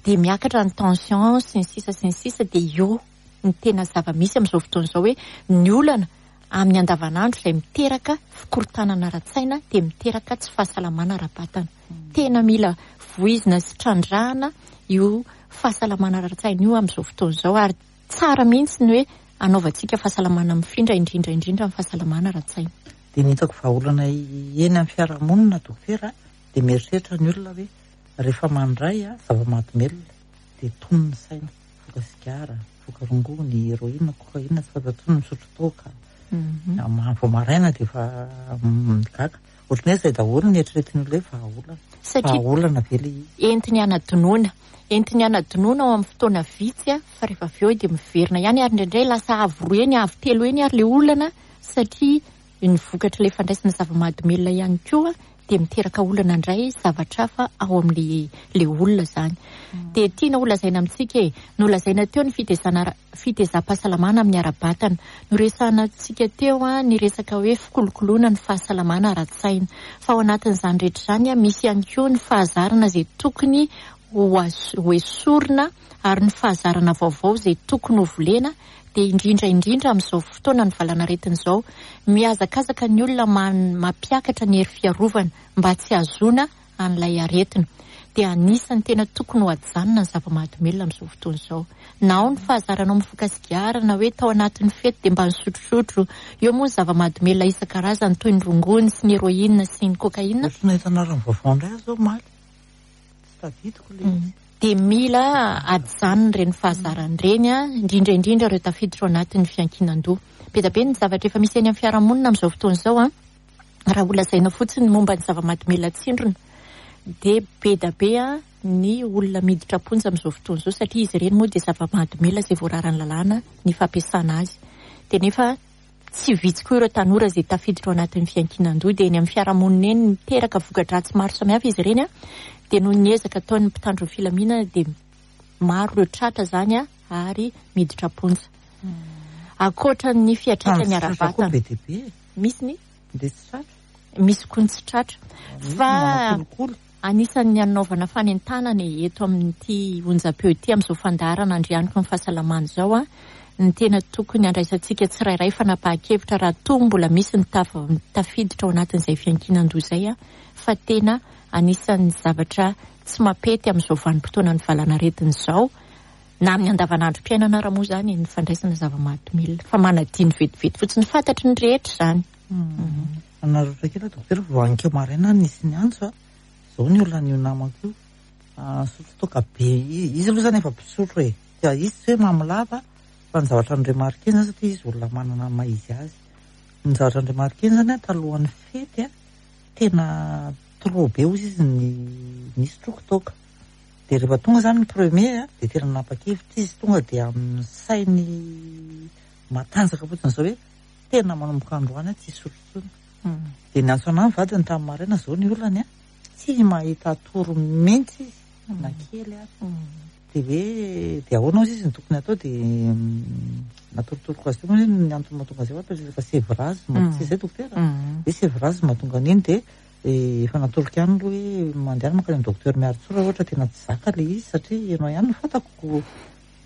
dia miakatra ny tension sy ny sisa sy ny sisa dia io ny tena zava-misy amin'izao fotoana izao hoe ny olana amin'ny andavanandro izay miteraka fikorontanana ara-tsaina dia miteraka tsy fahasalamana ara-batana. Tena mila voizina sy trandrahana io fahasalamana ara-tsaina io amin'izao fotoana izao ary tsara mihitsy ny hoe anaovantsika fahasalamana mifindra indrindra indrindra amin'ny fahasalamana ara-tsaina. Dia ny hitako vahaolana eny amin'ny fiarahamonina dokotera dia mieritreritra ny olona hoe rehefa mandray a zava-mahadomelina dia tony ny saina. Mifoka sigara, mifoka rongony, héroïne, cocaïne, tsy fantatro, misotro toaka. Vao maraina dia efa migaga. Ohatran'ny hoe izay daholo ny eritreretin'ny olona hoe vahaolana. Satria Vahaolana ve ilay izy? Entiny anadinoana. Entiny anadinoana ao amin'ny fotoana vitsy, fa rehefa avy eo dia miverina ihany, ary indraindray lasa avo roa eny, avo telo eny ary ilay olana, satria ny vokatra ilay fandraisana zava-mahadomelina ihany koa dia miteraka olana indray zavatra hafa ao amin'ilay ilay olona izany. Dia tiana ho lazaina amintsika e, nolazaina teo ny fitezana ara-, fitezam-pahasalamana amin'ny ara-batana. Noresahana antsika teo a, ny resaka hoe fikolokoloana ny fahasalamana ara-tsaina. Fa ao anatin'izany rehetra izany a, misy ihany koa ny fahazarana izay tokony ho as-, ho esorina, ary ny fahazarana vaovao izay tokony ho volena. Dia indrindra indrindra amin'izao fotoana ny valanaretina izao, mihazakazaka ny olona man-, mampiakatra ny hery fiarovana mba tsy hahazoana an'ilay aretina. Dia anisan'ny tena tokony ho ajanona ny zava-mahadomelina amin'izao fotoana izao. Na ao ny fahazaranao mifoka sigara, na hoe tao anatin'ny fety dia mba nisotrosotro. Eo moa ny zava-mahadomelina isan-karazany toy ny rongony sy ny héroïne sy ny cocaïne. Ohatran'ny nahita anarana vaovao indray aho izao omaly. Tsy tadidiko ilay izy. Dia mila ajanona ireny fahazarana ireny, a, indrindra indrindra ireo tafiditra ao anatin'ny fiankinan-doha. Be dia be ny zavatra efa misy eny amin'ny fiarahamonina amin'izao fotoana izao, a. Raha ho lazaina fotsiny momba ny zava-mahadomelina tsindrona, dia be dia be, a, ny olona miditra am-ponja amin'izao fotoana izao, satria izy ireny moa dia zava-mahadomelina izay voararan'ny lalàna ny fampiasana azy. Dia nefa tsy vitsy koa ireo tanora izay tafiditra ao anatin'ny fiankinan-doha, dia eny amin'ny fiarahamonina eny miteraka voka-dratsy maro samihafa izy ireny, a. Dia noho ny ezaka ataon'ny mpitandro ny filaminana dia maro ireo tratra izany, a, ary miditra am-ponja. Ankoatra ny fiantraikany Fa ny tsy tratra koa ara-batana. be dia be. Misy ny? Dia tsy tratra. Misy koa ny tsy tratra. Misy Fa manao kolikoly. anisan'ny anaovana fanentanana eto amin'ity onjam-peo ity amin'izao fandaharana andrianiko ny fahasalamana izao, a, ny tena tokony andraisantsika tsirairay fanapahan-kevitra raha toa mbola misy ny taf-, tafiditra ao anatin'izay fiankinan-doha izay, a, fa tena anisan'ny zavatra tsy mampety amin'izao vanim-potoana ny valanaretina izao, na amin'ny andavanandrom-piainana ara moa izany ny fandraisana zava-mahadomelina, fa manadino vetivety fotsiny, fantatry ny rehetra izany. Nanararaotra kely aho, dokotera, vao hanikeo maraina nisy ny antso, a. Izao ny olona an'io namako io. Ah, nisotro toaka be. I-, izy aloha izany efa mpisotro e. Dia izy tsy hoe mamolava, fa ny zavatra nandremarikena izany, satria izy olona manana ny maha izy azy. Ny zavatra nandremarikena izany, a, talohan'ny fety, a, tena trop be hozy izy ny nisotroko toaka. Dia rehefa tonga izany ny premier, a, dia tena nanapa-kevitra izy, tonga dia amin'ny sainy matanjaka fotsiny izao hoe tena manomboka androany aho tsy hisotro intsony. Mm. Dia niantso anahy ny vadiny tamin'ny maraina, izao ny olany, a, tsy mahita toro mihitsy izy, Mm. na kely ary. Mm. Dia hoe, dia ahoana hozy izy no tokony atao, dia, mm, natorotoroko azy teo moa ny antony mahatonga azy eo, fa resaka sevrage, Mm. tsy izay dokotera? Mm. Hoe sevrage mahatonga an'iny, dia, eh, efa natoroko ihany aloha hoe mandeha mankany amin'ny docteur Miarintsoa raha ohatra tena tsy zaka ilay izy, satria ianao ihany no fantako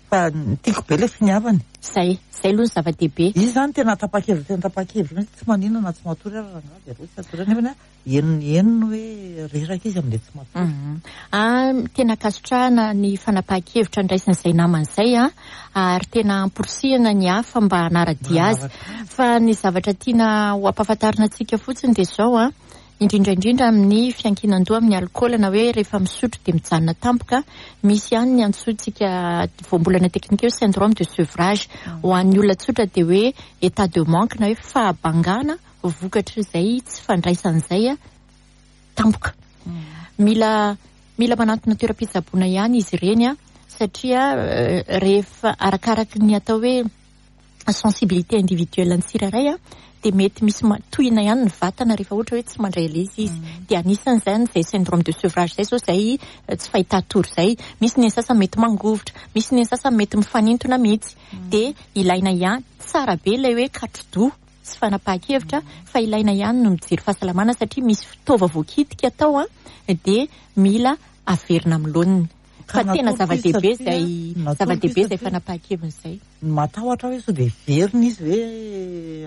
fa tiako be ilay finiavany. Zay, zay aloha ny zava-dehibe. Izy izany tena tapa-kevitra, tena tapa-kevitra mihitsy, tsy maninona na tsy matory ary rangahy, dia aleo tsy hatory nefa ny henony, henony hoe reraka izy amin'ilay tsy matory. Mhm. Ah, tena ankasitrahana ny fanapahan-kevitra ndraisin'izay namana izay, a, ary tena amporisihana ny hafa mba hanara-dia azy. Manaraka azy. Fa ny zavatra tiana ho ampahafantarina antsika fotsiny dia izao, a, indrindra indrindra amin'ny fiankinan-doha amin'ny alkaola, na hoe rehefa misotro dia mijanona tampoka, misy ihany ny antsointsika voambolana teknika hoe syndrome de sevrage. Ho an'ny olona tsotra dia hoe état de manque, na hoe fahabangana vokatr'izay tsy fandraisan'izay, a, tampoka. Mila, mila manantona toeram-pitsaboana ihany izy ireny, a, satria, eh, rehefa arakaraky ny atao hoe sensibilité individuelle ny tsirairay, a, dia mety misy ma-, tohina ihany ny vatana rehefa ohatra hoe tsy mandray ilay izy izy. Mm. Dia anisan'izany izay syndrome de sevrage izay izao, izay, eh, tsy fahita tory izay. Misy ny sasany mety mangovitra, misy ny sasany mety mifanintona mihitsy. Mm. Dia ilaina ihany, tsara be ilay hoe katro-doha sy fanapahan-kevitra, fa ilaina ihany no mijery fahasalamana, satria misy fitaova voakitika atao, a, dia mila averina amin'ny laoniny. Fa Ka tena natoro izy zava-dehibe satria izay, natoro zava-dehibe izy izay satria fanapahan-keviny izay. Matahotra hoe sao dia verina izy hoe,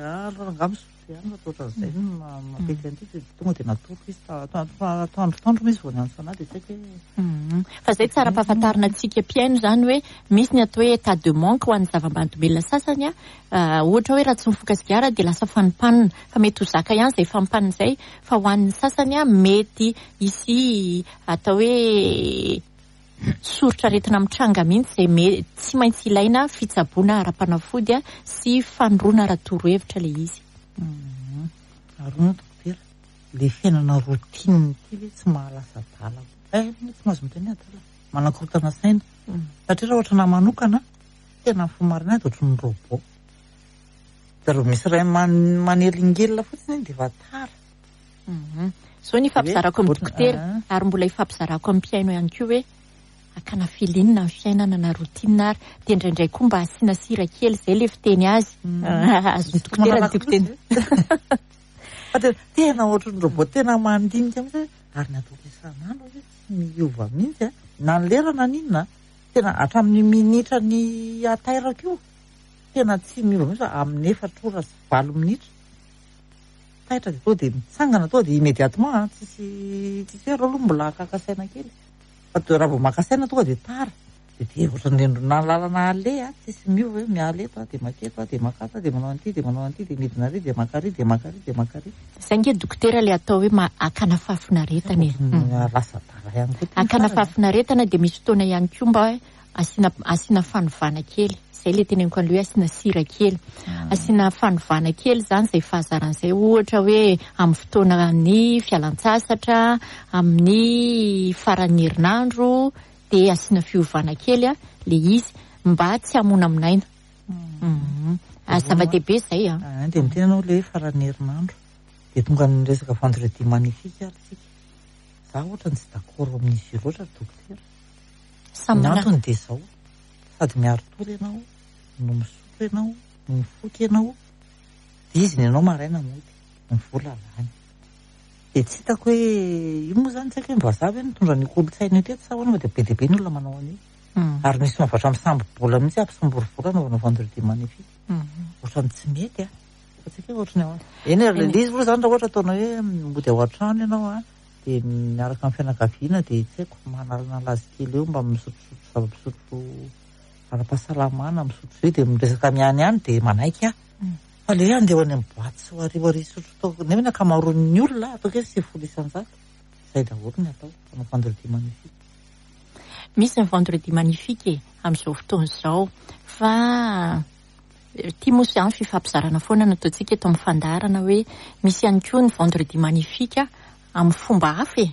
ah, aloha rangahy misotro ihany, fa ohatran'izay no ma-, mampety an'ity, dia tonga dia natoroko izy ta-, ta-, ta-, tandrotandro izy vao niantso anahy, dia tsy haiko hoe Mm. Fa izay tsara ampahafantarina antsika mpihaino izany hoe misy ny atao hoe état de manque ho an'ny zava-mahadomelina sasany, a. Ah, ohatra hoe raha tsy mifoka sigara dia lasa fanimpanina, fa mety ho zaka ihany izay fanimpanina izay, fa ho an'ny sasany, a, mety hisy atao hoe soritr'aretina mitranga mihitsy izay me- tsy maintsy ilaina fitsaboana ara-panafody a sy fanoroana ara-torohevitra ilay izy. Arona dokotera, le fiainana routine ity ve tsy mahalasa adala? Eh, tsy mahazo miteny adala. Manakorontana saina. Satria raha ohatra na manokana, tena ny fo marina dia ohatran'ny robot. Dia raha misy ray man- manelingelina fotsiny dia efa tara. Zao ny ifampizarako amin'ny dokotera Ah. ary mbola ifampizarako amin'ny mpihaino ihany koa hoe akana filinina ny fiainana na routine ary dia indraindray koa mba asiana sira kely izay le fiteny azy. Azon'ny dokotera ny tiako teny. Fa tena tena ohatran'ny robot tena mandinika mihitsy ary ny ataoko isan'andro hoe tsy miova mihitsy a. Na ny lera na n'inona, tena hatramin'ny minitra ny atairako io, tena tsy miova mihitsy fa amin'ny efatra ora sy valo minitra. Taitra dia tonga dia mitsangana tonga dia immédiatement a, tsisy tsisy hoe aloha mbola hakaka saina kely. Fa to- raha vao maka saina tonga dia tara. Dia dia ohatran'ny na lalana aleha, tsisy miova hoe miala eto a, dia maketo a, dia makato a, dia manao an'ity, dia manao an'ity, dia midina ary, dia maka ary, dia maka ary, dia maka ary. Izay nge dokotera ilay atao hoe ma- akana fahafinaretana e. Mm. Lasa adala ihany koa ty Akana farany. fahafinaretana dia misy fotoana ihany koa mba hoe asiana asiana fanovana kely. Izay ilay teneniko an'ilay hoe asiana sira kely. Asiana fanovana kely izany izay fahazarana izay, ohatra hoe amin'ny fotoanan'ny fialan-tsasatra, amin'ny faran'ny herinandro, dia asiana fiovana kely a ilay izy mba tsy hamonamonaina. Mhm. Ah, zava-dehibe izay a. Ah, dia miteny ianao ilay hoe faran'ny herinandro. Dia tonga ny resaka vendredi magnifique ary tsika. Za ohatra tsy d'accord amin'izy io loatra dokotera. Samy Ny mana- antony dia izao, sady miari-tory ianao, no misotro ianao, no mifoka ianao, dia izy ny ianao maraina mody, ny vola lany. Dia tsy hitako hoe io moa izany tsy haiko hoe ny vazaha ve nitondra ny kolontsaina io teto sa ahoana fa dia be dia be ny olona manao an'io. Mm. Ary misy mahavatra misambo-bola mihitsy ampisambory vola anaovana vendredi magnifique. Mm. Ohatran'ny tsy mety a. Fa tsy haiko hoe ohatran'ny ahoana. Eny ary ilay izy moa izany raha ohatra ataonao hoe mody ao an-trano ianao a, dia miaraka amin'ny fianakaviana dia tsy haiko manalanala azy kely eo mba misotrosotro zava-pisotro ara-pahasalamana, misotro zay dia miresaka miany ihany dia manaiky aho. Fa le hoe andeha ho any amin'ny boaty sy ho arivo hisotro toaka, nefa ny ankamaroan'ny olona ataoko hoe sivifolo isan-jato, izay daholo ny atao manao vendredi magnifique. Misy ny vendredi magnifique e, amin'izao fotoana izao, fa ity moa izany fifampizarana foana nataontsika eto amin'ny fandaharana hoe misy ihany koa ny vendredi magnifique amin'ny fomba hafa e.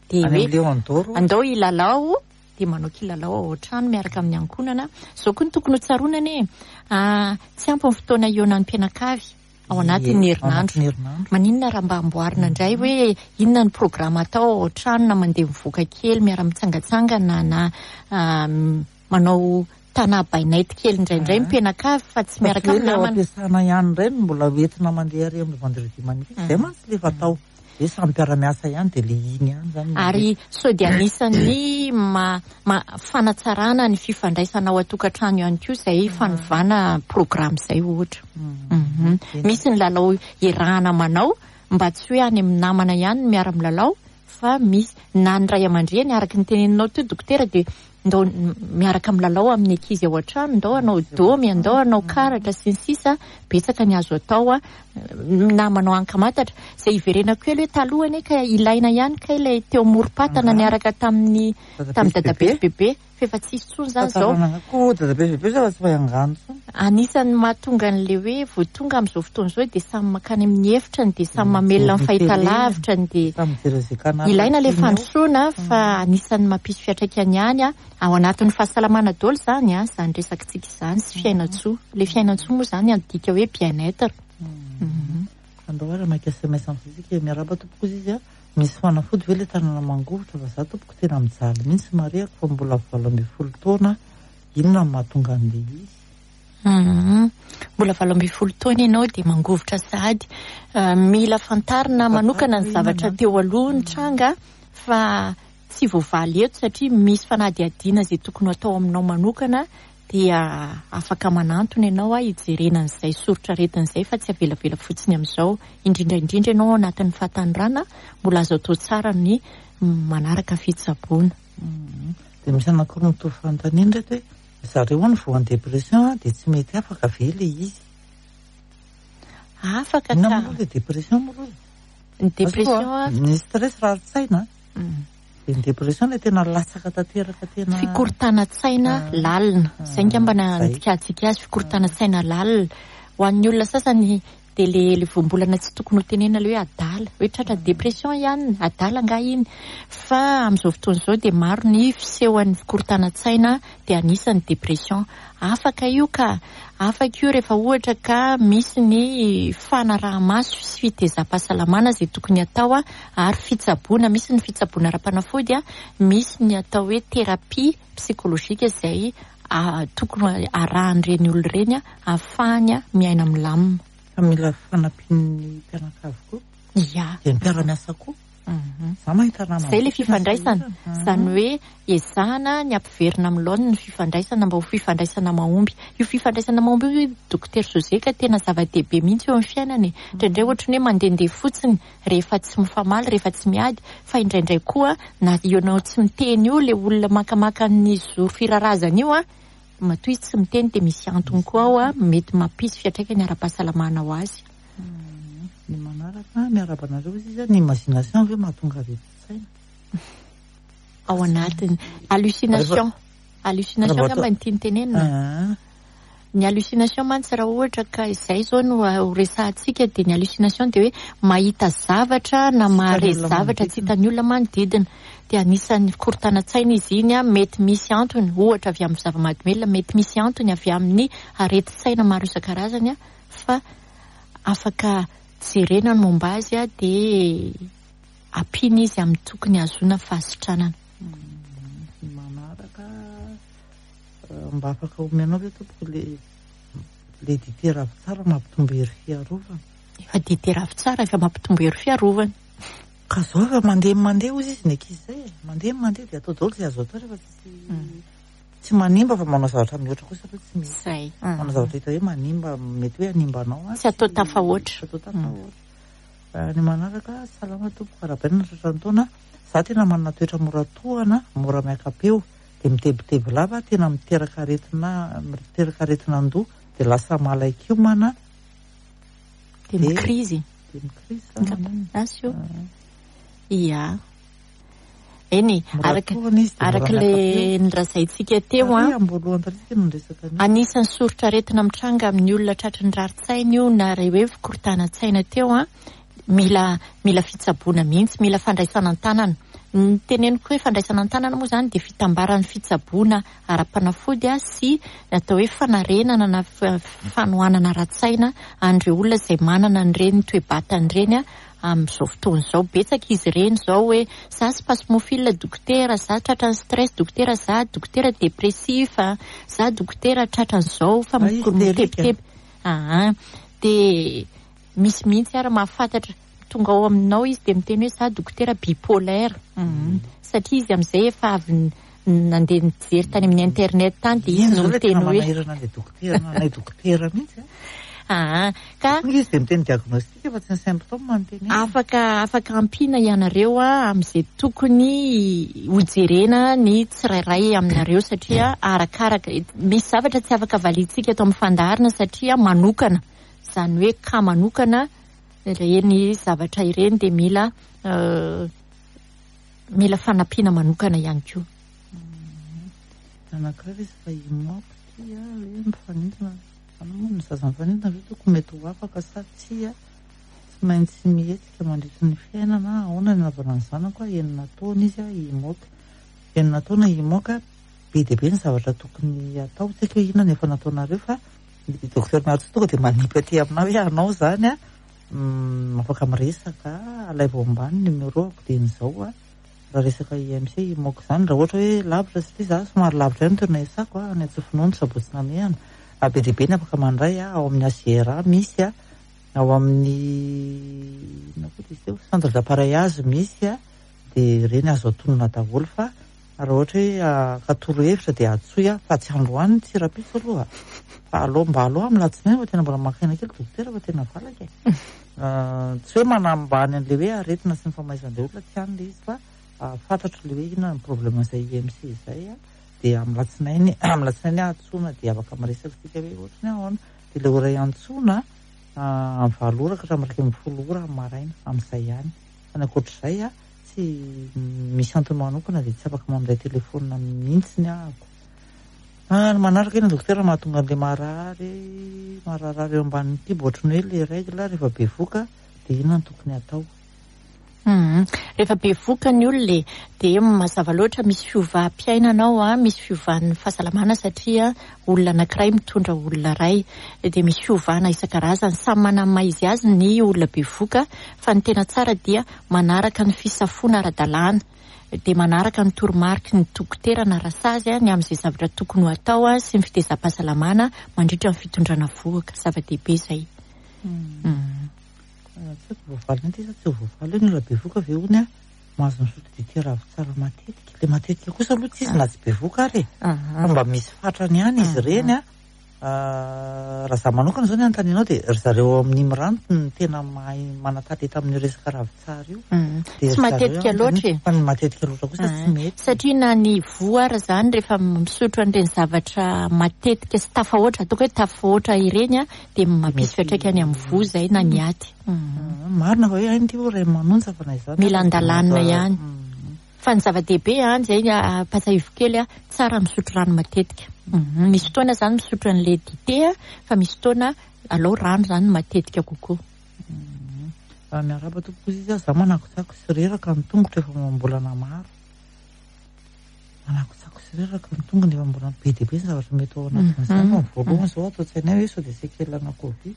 Dia Any hoe amin'ny Léon d'Or. andao hilalao, dia manao kilalao ao an-trano miaraka amin'ny ankohonana. Izao koa no tokony ho tsaroana anie. Ah, tsy ampy ny fotoana hihaonan'ny mpianakavy ao anatin'ny Ie, ao herinandro. anatin'ny herinandro. Maninona raha mba amboarina indray hoe inona ny programa atao ao an-trano na mandeha mivoaka kely miara-mitsangatsangana na, ah, manao tana by night kely indraindray Ah. mpianakavy fa tsy miaraka Fa amin'ny tsy hoe ilay ao namana. am-piasana ihany indray no mbola hoentina mandeha ary amin'ny vendredi magnifique. Izay mantsy ilay efa atao. Dia samy mpiara-miasa ihany dia ilay iny ihany izany no Ary sao dia anisan'ny ma-, ma-, fanatsarana ny fifandraisana ao an-tokantrano ihany koa izay fanovana programme izay ohatra. Mm. Mhm. Misy ny lalao iarahana manao mba tsy hoe any amin'ny namana ihany no miara-milalao fa misy na ny ray aman-dreny araka ny teneninao teo dokotera dia ndao miaraka milalao amin'ny ankizy ao an-trano, ndao hanao domy, ndao hanao karatra sy ny sisa, betsaka ny azo atao a, na manao ankamatatra. Izay iverenako kely hoe taloha anie ka ilaina ihany ka ilay teo amorom-patana Ah. niaraka tamin'ny tamin'ny dadabe sy bebe, fa efa tsisy intsony izany izao. Tantarana koa dadabe sy bebe zao fa tsy mahay angano intsony. Anisan'ny mahatonga an'ilay hoe vao tonga amin'izao fotoana izao dia samy mankany amin'ny efitrany, dia samy Mm, mamelona ny mijery télé. fahitalavitra, dia Samy mijery izay canal ilaina ilay tiany ao. fandrosoana fa anisan'ny mampisy fiantraikany ihany a, ao anatin'ny fahasalamana daholo izany a, izany resakitsika izany sy fiainantsoa. Ilay fiainantsoa moa izany adika hoe bien-être. Mm. Andao ary maka S M S amin'izay isika. Miarahaba tompoko izy a. Misy fanafody ve ilay tanana mangovitra fa za tompoko tena mijaly mihitsy marihako fa mbola valo ambin'ny folo taona. Inona no mahatonga an'ilay izy? Mhm. Mbola valo ambin'ny folo taona ianao dia mangovitra sahady. Eh, mila fantarina manokana ny zavatra teo aloha ny tranga fa tsy voavaly eto satria misy fanadihadiana izay tokony atao aminao manokana dia afaka manantona ianao a hijerena an'izay soritr'aretina izay fa tsy avelavela fotsiny amin'izao. Indrindra indrindra ianao ao anatin'ny fahatanorana mbola azo atao tsara ny manaraka fitsaboana. Mhm. Dia misy anankiroa mitovy fanontaniana ireto hoe zareo hono voan'ny dépression a, dia tsy mety afaka ve ilay izy? Afaka Inona ka. moa ilay dépression moa aloha? Ny dépression a, Ny stress rarin-tsaina. Mm. Dia ny dépression ilay tena latsaka tanteraka tena fikorontanan-tsaina lalina. Izay angamba no andikantsika azy, fikorontanan-tsaina lalina. Ho an'ny olona sasany dia le le voambolana tsy tokony ho tenenina le hoe adala, hoe tratra dépression ihany, adala angaha iny. Fa amin'izao fotoana izao dia maro ny fisehoan'ny fikorontanan-tsaina, dia anisan'ny dépression. Afaka io ka, afaka io rehefa ohatra ka misy ny fanaraha-maso sy fitezam-pahasalamana izay tokony atao, ary fitsaboana, misy ny fitsaboana ara-panafody, misy ny atao hoe thérapie psychologique izay tokony arahan'ireny olona ireny ahafahany miaina milamina. Fa mila fanampian'ny mpianakavy koa. Ia. Dia ny mpiara-miasa koa. Za mahita namana. Izay ilay fifandraisana. Izany hoe ezahana ny ampiverina amin'ny laoniny ny fifandraisana mba ho fifandraisana mahomby. Io fifandraisana mahomby io Docteur José ka tena zava-dehibe mihitsy eo amin'ny fiainana e. Indraindray ohatran'ny hoe mandehandeha fotsiny rehefa tsy mifamaly, rehefa tsy miady, fa indraindray koa na ianao tsy miteny io ilay olona makamaka ny zoro firarazana io a, matoa izy tsy miteny dia misy antony koa ao a, mety mampisy fiantraikany ara-pahasalamana ho azy. Ny manaraka miarahaba anareo izy izy, ny imagination ve mahatonga aretin-tsaina? Ao anatiny hallucination. Hallucination angamba ny tiany tenenina. Ny hallucination mantsy raha ohatra ka izay izao no ho resahantsika, dia ny hallucination dia hoe mahita zavatra na mahare zavatra tsy hitan'ny olona manodidina. Dia anisan'ny fikorontanan-tsaina izy iny, mety misy antony ohatra avy amin'ny zava-mahadomelina, mety misy antony avy amin'ny aretin-tsaina maro isan-karazany, fa afaka jerena ny momba azy dia ampiana izy amin'ny tokony hahazoana fahasitranana. Ny manaraka mba afaka omenao ve tompoko le le dite ravintsara mampitombo hery fiarovana? Efa dite ravintsara efa mampitombo hery fiarovana. Ka zao efa mandeha mandeha ozy izy ny ankizy izay e, mandeha mandeha dia atao daholo izay azo atao rehefa tsy tsy manimba, fa manao zavatra mihoatra kosa aloha tsy mety. Izay. Manao zavatra hita hoe manimba, mety hoe hanimba anao. Tsy atao tafahoatra. Tsy atao tafahoatra. Ny manaraka, salama tompoko, arahabaina tratra ny taona. Za tena manana toetra mora tohana, mora miaka-peo, dia mitebiteby lava, tena miteraka aretina, miteraka aretina an-doha, dia lasa malaikiomana. Dia mikrizy. Dia mikrizy zany. Asio. Ia. Eny, araka araka ilay nolazaintsika teo a, anisan'ny soritra aretina mitranga amin'ny olona tratry ny rarin-tsaina io, na ilay hoe fikorontanan-tsaina teo a, mila mila fitsaboana mihitsy, mila fandraisana an-tanana. Ny teneniko hoe fandraisana an-tanana moa izany dia fitambaran'ny fitsaboana ara-panafody sy atao hoe fanarenana na fanohanana ara-tsaina an'ireo olona izay manana an'ireny toe-batana ireny amin'izao fotoana izao. Betsaka izy ireny izao hoe za spasmophile dokotera, za tratran'ny stress dokotera, za dokotera dépressif, za dokotera tratran'izao fa mitebiteby. Ah, dia misy mihitsy ary mahafantatra tonga ao aminao izy dia miteny hoe za dokotera bipolaire, satria izy amin'izay efa avy nandeha nijery tany amin'ny internet tany dia izy no miteny hoe manahirana ilay dokotera, anay dokotera mihitsy. Ah, ka izy dia miteny diagnostic fa tsy ny symptôme no tenenina. Afaka afaka ampiana ianareo a amin'izay tokony hojerena ny tsirairay aminareo, satria arakaraka misy zavatra tsy afaka valiantsika eto amin'ny fandaharana satria manokana, izany hoe ka manokana ireny zavatra ireny dia mila mila fanampiana manokana ihany koa. Anankiray izy fa imoako ty a, hoe mifanintona. Ny zaza mifanintona ve tokony mety ho afaka sa tsia? Tsy maintsy mihetsika mandritra ny fiainana. Ahoana ny anaovana ny zanako? Enina taona izy a, imoaka. Enina taona imoaka, be dia be ny zavatra tokony atao. Tsy haiko hoe inona no efa nataonareo fa ny docteur Miarintsoa tonga dia manipy aty aminao hoe anao izany a, afaka miresaka, alaivo ambany numéro-ako dia izao a. Raha resaka I M C imoaka izany, raha ohatra hoe lavitra satria za somary lavitra ihany toerana iasako a, any Antsofonono, Sabotsy Namehana. Be dia be ny afaka mandray a, ao amin'ny A G R A misy a, ao amin'ny inona koa izy teo, centre d'appareillage misy a, dia ireny azo atonona daholo. Fa raha ohatra hoe haka torohevitra dia antsoy a, fa tsy androany tsy rahampitso aloha, fa aloha mba aloha amin'ny alatsinainy fa tena mbola maka aina kely dokotera fa tena valaka e. Tsy hoe manambany an'ilay hoe aretina sy ny famaizan'ilay olona, tsy any ilay izy, fa fantatro ilay hoe inona ny problème izay I M C izay a, dia amin'ny alatsinainy, amin'ny alatsinainy antsoina dia afaka miresaka isika hoe ohatry ny ahoana. Dia ilay ora iantsoana amin'ny valo ora ka hatramin'ny iraika ambin'ny folo ora amin'ny maraina amin'izay ihany. Fa ny ankoatr'izay a, tsy misy antony manokana dia tsy afaka mandray telefona mihitsy ny ahako. Ah, ny manaraka iny dokotera mahatonga an'ilay marary mararary eo ambanin'ny kibo ohatran'ny hoe le règle rehefa bevoka dia inona no tokony atao? Mhm. Rehefa bevoka ny olona e, dia mazava loatra misy fiovam-piainana ao a, misy fiovan'ny fahasalamana satria olona anankiray mitondra olona iray, dia misy fiovana isan-karazany. Samy manana ny maha izy azy ny olona bevoka, fa ny tena tsara dia manaraka ny fisafoana ara-dalàna, dia manaraka ny toromariky ny dokotera na rasazy a, ny amin'izay zavatra tokony ho atao a, sy ny fitezam-pahasalamana mandritra ny fitondrana vohoka. Zava-dehibe izay. Mm. Tsy haiko voavaly ity sa tsy ho voavaly hoe ny olona bevoka ve hono a mahazo misotro dite ravintsara matetika. Le matetika kosa aloha tsy izy na tsy bevoka ary e. Aha. Fa mba misy fatrany ihany izy ireny a. Ah, raha za manokana zao ny anontanianao dia ry zareo amin'ny mirano no tena mahay manan-talenta amin'io resaka ravintsara io. Mm. Dia Tsy ry zareo matetika anontaniana. loatra e. Fa ny matetika loatra kosa tsy mety. Satria na ny voa ary zany rehefa misotro an'ireny zavatra matetika sy tafahoatra, ataoko hoe tafahoatra ireny a, dia mampisy Mety- fiantraikany amin'ny voa izay na ny aty. Mm. Ah, Marina fa hoe hainy ity hoe ray manonja fa na izany. Mila andalanina ihany. Mm. Fa ny zava-dehibe a, izay ampahatsiahivo kely a, tsara misotro rano matetika. Mhm. Misy fotoana zany misotro an'ilay dite a, fa misy fotoana alao rano zany matetika kokoa. Ah, miarahaba tompoko izy izy, za manakotsako sy reraka ny tongotra efa amam-bolana maro. Manakotsako sy reraka ny tongony efa mbola be dia be ny zavatra mety ao anatin'izany. Mhm. Fa ny voalohany izao atao an-tsainay hoe sao dia sekelana Covid.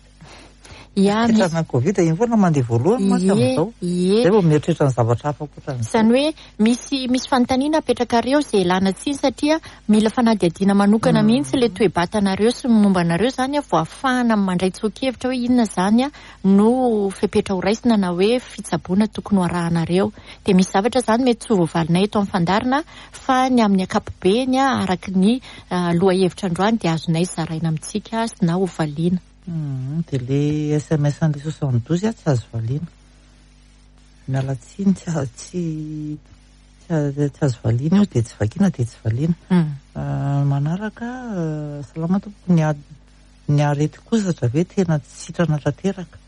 Ya, misy Sekelana Covid iny foana mandeha voalohany mantsy Ie, amin'izao. ie. Zay vao mieritreritra ny zavatra hafa ankoatran'izay. Izany hoe misy misy fanontaniana apetrakareo izay ilana tsiny satria mila fanadihadiana manokana mihitsy ilay toe-batanareo sy ny momba anareo zany a, vao ahafahana mandray tsoa-kevitra hoe inona zany a no fepetra ho raisina na hoe fitsaboana tokony ho arahanareo. Dia misy zavatra zany mety tsy ho voavalinay eto amin'ny fandaharana fa ny amin'ny ankapobeny a, araka ny ah, lohahevitra androany dia azonay zaraina amintsika sy na ho valiana. Mm, dia le S M S an'le soixante-douze a tsy azo valiana. Miala tsiny, tsy a-, tsy, tsy a-, tsy azo valiana io, dia tsy vakiana dia tsy valiana. Mm. Ah, manaraka, ah, salama tompoko, ny a-, ny aretin-kozatra ve tena tsy sitrana tanteraka?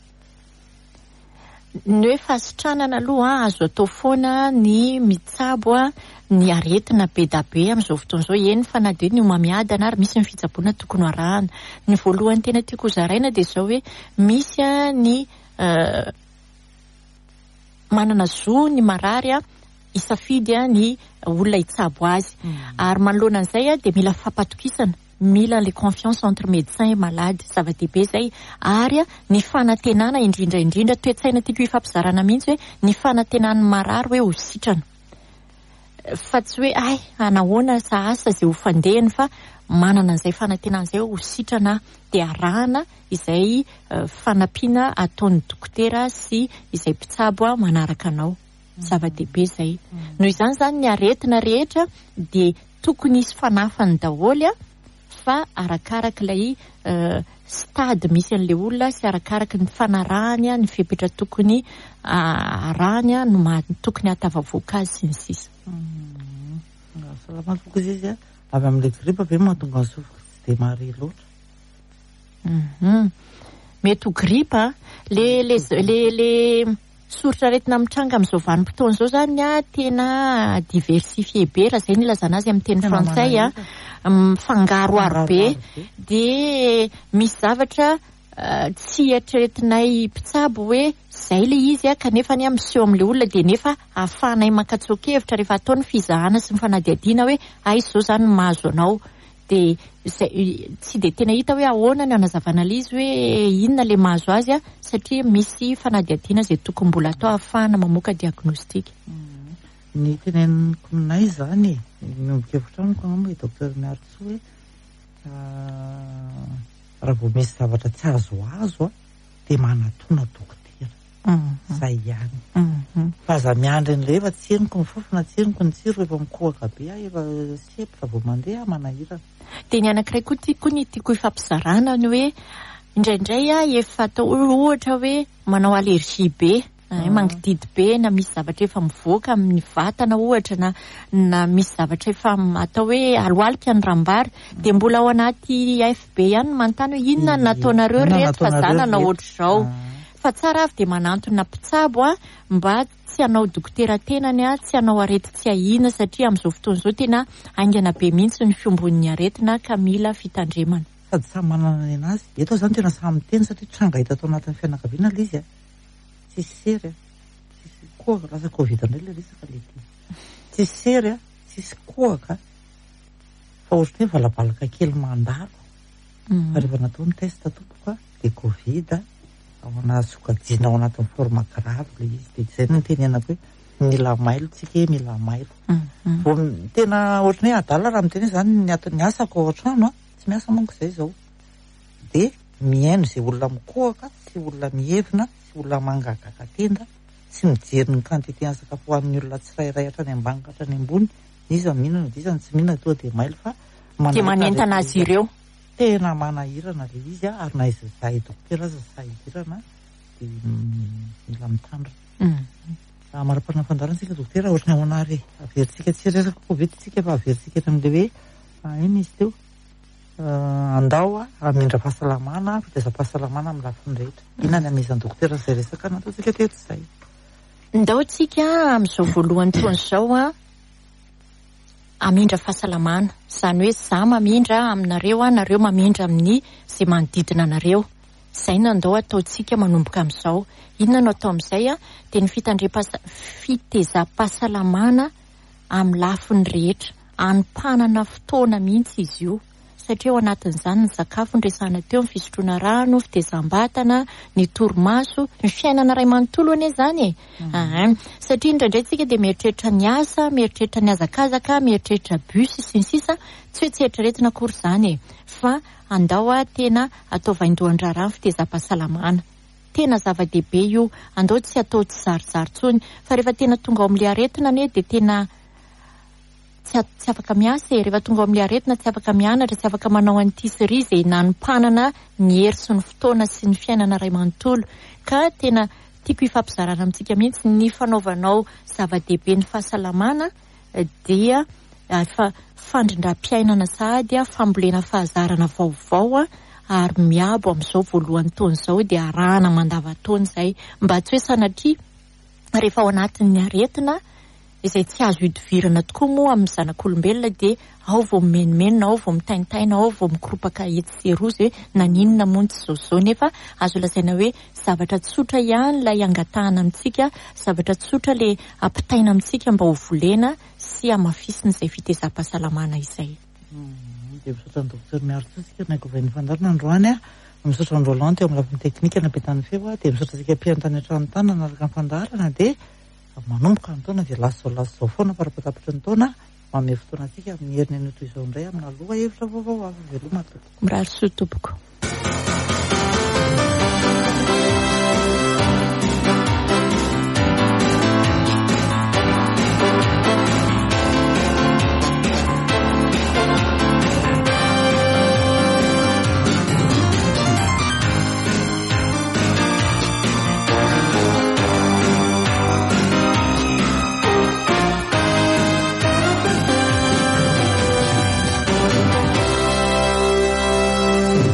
Ny hoe fahasitranana aloha azo atao foana ny mitsabo a, ny aretina be da be amin'izao fotoana izao, eny fa na dia ny homamiadana ary misy ny fitsaboana tokony ho arahana. Ny voalohany tena tiako hozaraina dia izao hoe misy a ny, eh, manana zo ny marary a hisafidy a ny olona hitsabo azy. Mm. Ary manoloana an'izay a dia mila fampatokisana, mila le confiance entre médecin et malade, zava-dehibe izay. Ary a ny fanantenana indrindra indrindra, toe-tsaina tiako hifampizarana mihitsy hoe ny fanantenan'ny marary hoe ho sitrana. Fa tsy hoe ay anahoana sa asa izay ho fandehany, fa manana an'izay fanantenana izay ho sitrana dia arahana izay, eh, fanampiana ataon'ny dokotera sy izay mpitsabo a manaraka anao. Zava-dehibe izay. Noho izany zany ny aretina rehetra dia tokony hisy fanafany daholo a, fa arakarak'ilay, eh, stade misy an'ilay olona sy arakaraky ny fanarahany a, ny fepetra tokony, ah, arahany a, no maha-, tokony hahatafavoaka azy sy ny sisa. Mm. Salama tompoko izy izy a, avy amin'ilay gripa ve mahatonga ny sofiko tsy dia mahare loatra? Mhm. Mety ho gripa, le, le, le, le soritra aretina mitranga amin'izao vanim-potoana izao zany a, tena diversifié be, raha izay no ilazana azy amin'ny teny Tena frantsay a, manahirana. mifangaroharo be. Mifangaroharo be. Dia misy zavatra, eh, tsy eritreretinay mpitsabo hoe zay le izy a, kanefa ny miseho amin'ilay olona dia nefa ahafahanay mankatsoa-kevitra rehefa atao ny fizahana sy ny fanadihadiana hoe aiza izao zany no mahazo anao. Dia zay, tsy dia tena hita hoe ahoana ny hanazavana ilay izy hoe inona ilay mahazo azy a, satria misy fanadihadiana izay tokony mbola atao ahafahana mamoaka diagnostic. Mm. Ny teneniko aminay izany e, miombon-kevitra amiko angamba i docteur Miarintsoa hoe, ah, raha vao misy zavatra tsy azoazo a, dia manatona dokotera. Mm. Zay ihany. Mm-hmm. Fa aza miandry an'ilay efa tsy henoko ny fofona, tsy henoko ny tsiro, efa mikohaka be aho, efa sempotra vao mandeha manahirana. Dia ny anankiray koa tiako ny tiako hifampizarana ny hoe indraindray aho efa atao ohatra hoe manao allergie be, Mm. eh, mangididy be, na misy zavatra efa mivoaka amin'ny vatana ohatra, na, na misy zavatra efa m-, atao hoe aloalika ny rambary, dia mbola ao anaty F B ihany no manontany hoe inona no Ie. nataonareo Inona reto fa nataonareo za nanao reto? ohatr'izao. Ah. Fa tsara avy dia manantona mpitsabo a, mba tsy hanao dokotera tenany a, tsy hanao arety tsy ahiana, satria amin'izao fotoana izao tena haingana be mihitsy ny fiombon'ny aretina ka mila fitandremana. Sady samy manana ny anazy. Eto zany tena samy miteny satria tranga hita tao anatin'ny fianakaviana ilay izy a. Tsisy sery a, tsisy kohaka, lasa Covid indray ilay resaka ilay ty. Tsisy sery a, tsisy kohaka, fa ohatran'ny hoe valabalaka kely mandalo. Fa rehefa natao ny test tompoko a, dia Covid ao anaty sokajiana ao anatin'ny forme grave ilay izy. Dia izay no nitenenako hoe mila mailo tsika e, mila mailo. Vao tena ohatran'ny hoe adala raha miteny hoe zany ny ato- ny asako ao an-trano a, tsy miasa manko izay izao. Dia mihaino izay olona mikohaka, sy olona mihevina, sy olona mangagaka tenda, sy mijery ny quantité ny sakafo hohanin'ny olona tsirairay hatrany ambany ka hatrany ambony. Iza mihinana, iza no tsy mihinana, tonga dia mailo fa Dia manentana azy ireo. Tena manahirana ilay izy a, ary na iza zahay dokotera aza sahirana, dia mila mitandrina. Raha mari-panana fandaharana isika dokotera, ohatran'ny ahoana ary averintsika tsy resaka Covid tsika fa averintsika eto amin'ilay hoe iny izy teo. Andao a, hamindra fahasalamana, fitaizam-pahasalamana amin'ny lafiny rehetra. Inona ny amezan'ny dokotera izay resaka nataontsika teto izay? Ndao tsika amin'izao voalohany taona izao a, hamindra fahasalamana. Izany hoe za mamindra aminareo a, nareo mamindra amin'ny izay manodidina anareo. Izay no andao ataontsika manomboka amin'izao. Inona no atao amin'izay a? Dia ny fitandrem-pahasa-, fitezam-pahasalamana amin'ny lafiny rehetra. Anompanana fotoana mihitsy izy io. Satria ao anatin'izany ny sakafo noresahana teo, ny fisotroana rano, fitezam-batana, ny torimaso, ny fiainana iray manontolo anie izany e. Ahan. Satria indraindray tsika dia mieritreritra ny asa, mieritreritra ny hazakazaka, mieritreritra bus sy ny sisa. Tsy hoe tsy eritreretina akory izany e. Fa andao a, tena atao vaindohan-draharaha ny fitezam-pahasalamana. Tena zava-dehibe io. Andao tsy atao tsy zarizary intsony. Fa rehefa tena tonga ao amin'ilay aretina anie dia tena tsy a-, tsy afaka miasa e. Rehefa tonga ao amin'ilay aretina tsy afaka mianatra, tsy afaka manao an'ity sy ry izay nanompanana ny hery sy ny fotoana sy ny fiainana iray manontolo. Ka tena tiako hifampizarana amintsika mihitsy ny fanaovanao zava-dehibe ny fahasalamana dia efa fandrindram-piainana sahady, fambolena fahazarana vaovao ary miabo amin'izao voalohany taona izao dia arahana mandavantaona izay. Mba tsy hoe sanatria rehefa ao anatin'ny aretina izay tsy azo idivirana tokoa moa amin'ny zanak'olombelona dia ao vao mimenomenona, ao vao mitaintaina, ao vao mikoropaka etsy sy eroa izay hoe naninona moa ny tsy izao izao, nefa azo lazaina hoe zavatra tsotra ihany ilay angatahana amintsika, zavatra tsotra ilay ampitaina amintsika mba ho volena sy hamafisina izay fitezam-pahasalamana izay. Mm, dia misaotra ny dokotera Miarintsoa isika nankovan'ny fandaharana androany a. Misaotra ny Roland teo amin'ny lafiny teknika nampitany feo a, dia misaotra antsika mpihaino tany an-trano tany nanaraka ny fandaharana, dia manomboka ny taona dia lasa izao lasa izao foana fara-patapitry ny taona. Manome fotoana antsika amin'ny heriny anio toy izao indray amina lohahevitra vaovao hafa. Veloma tompoko. Mirary soa tompoko.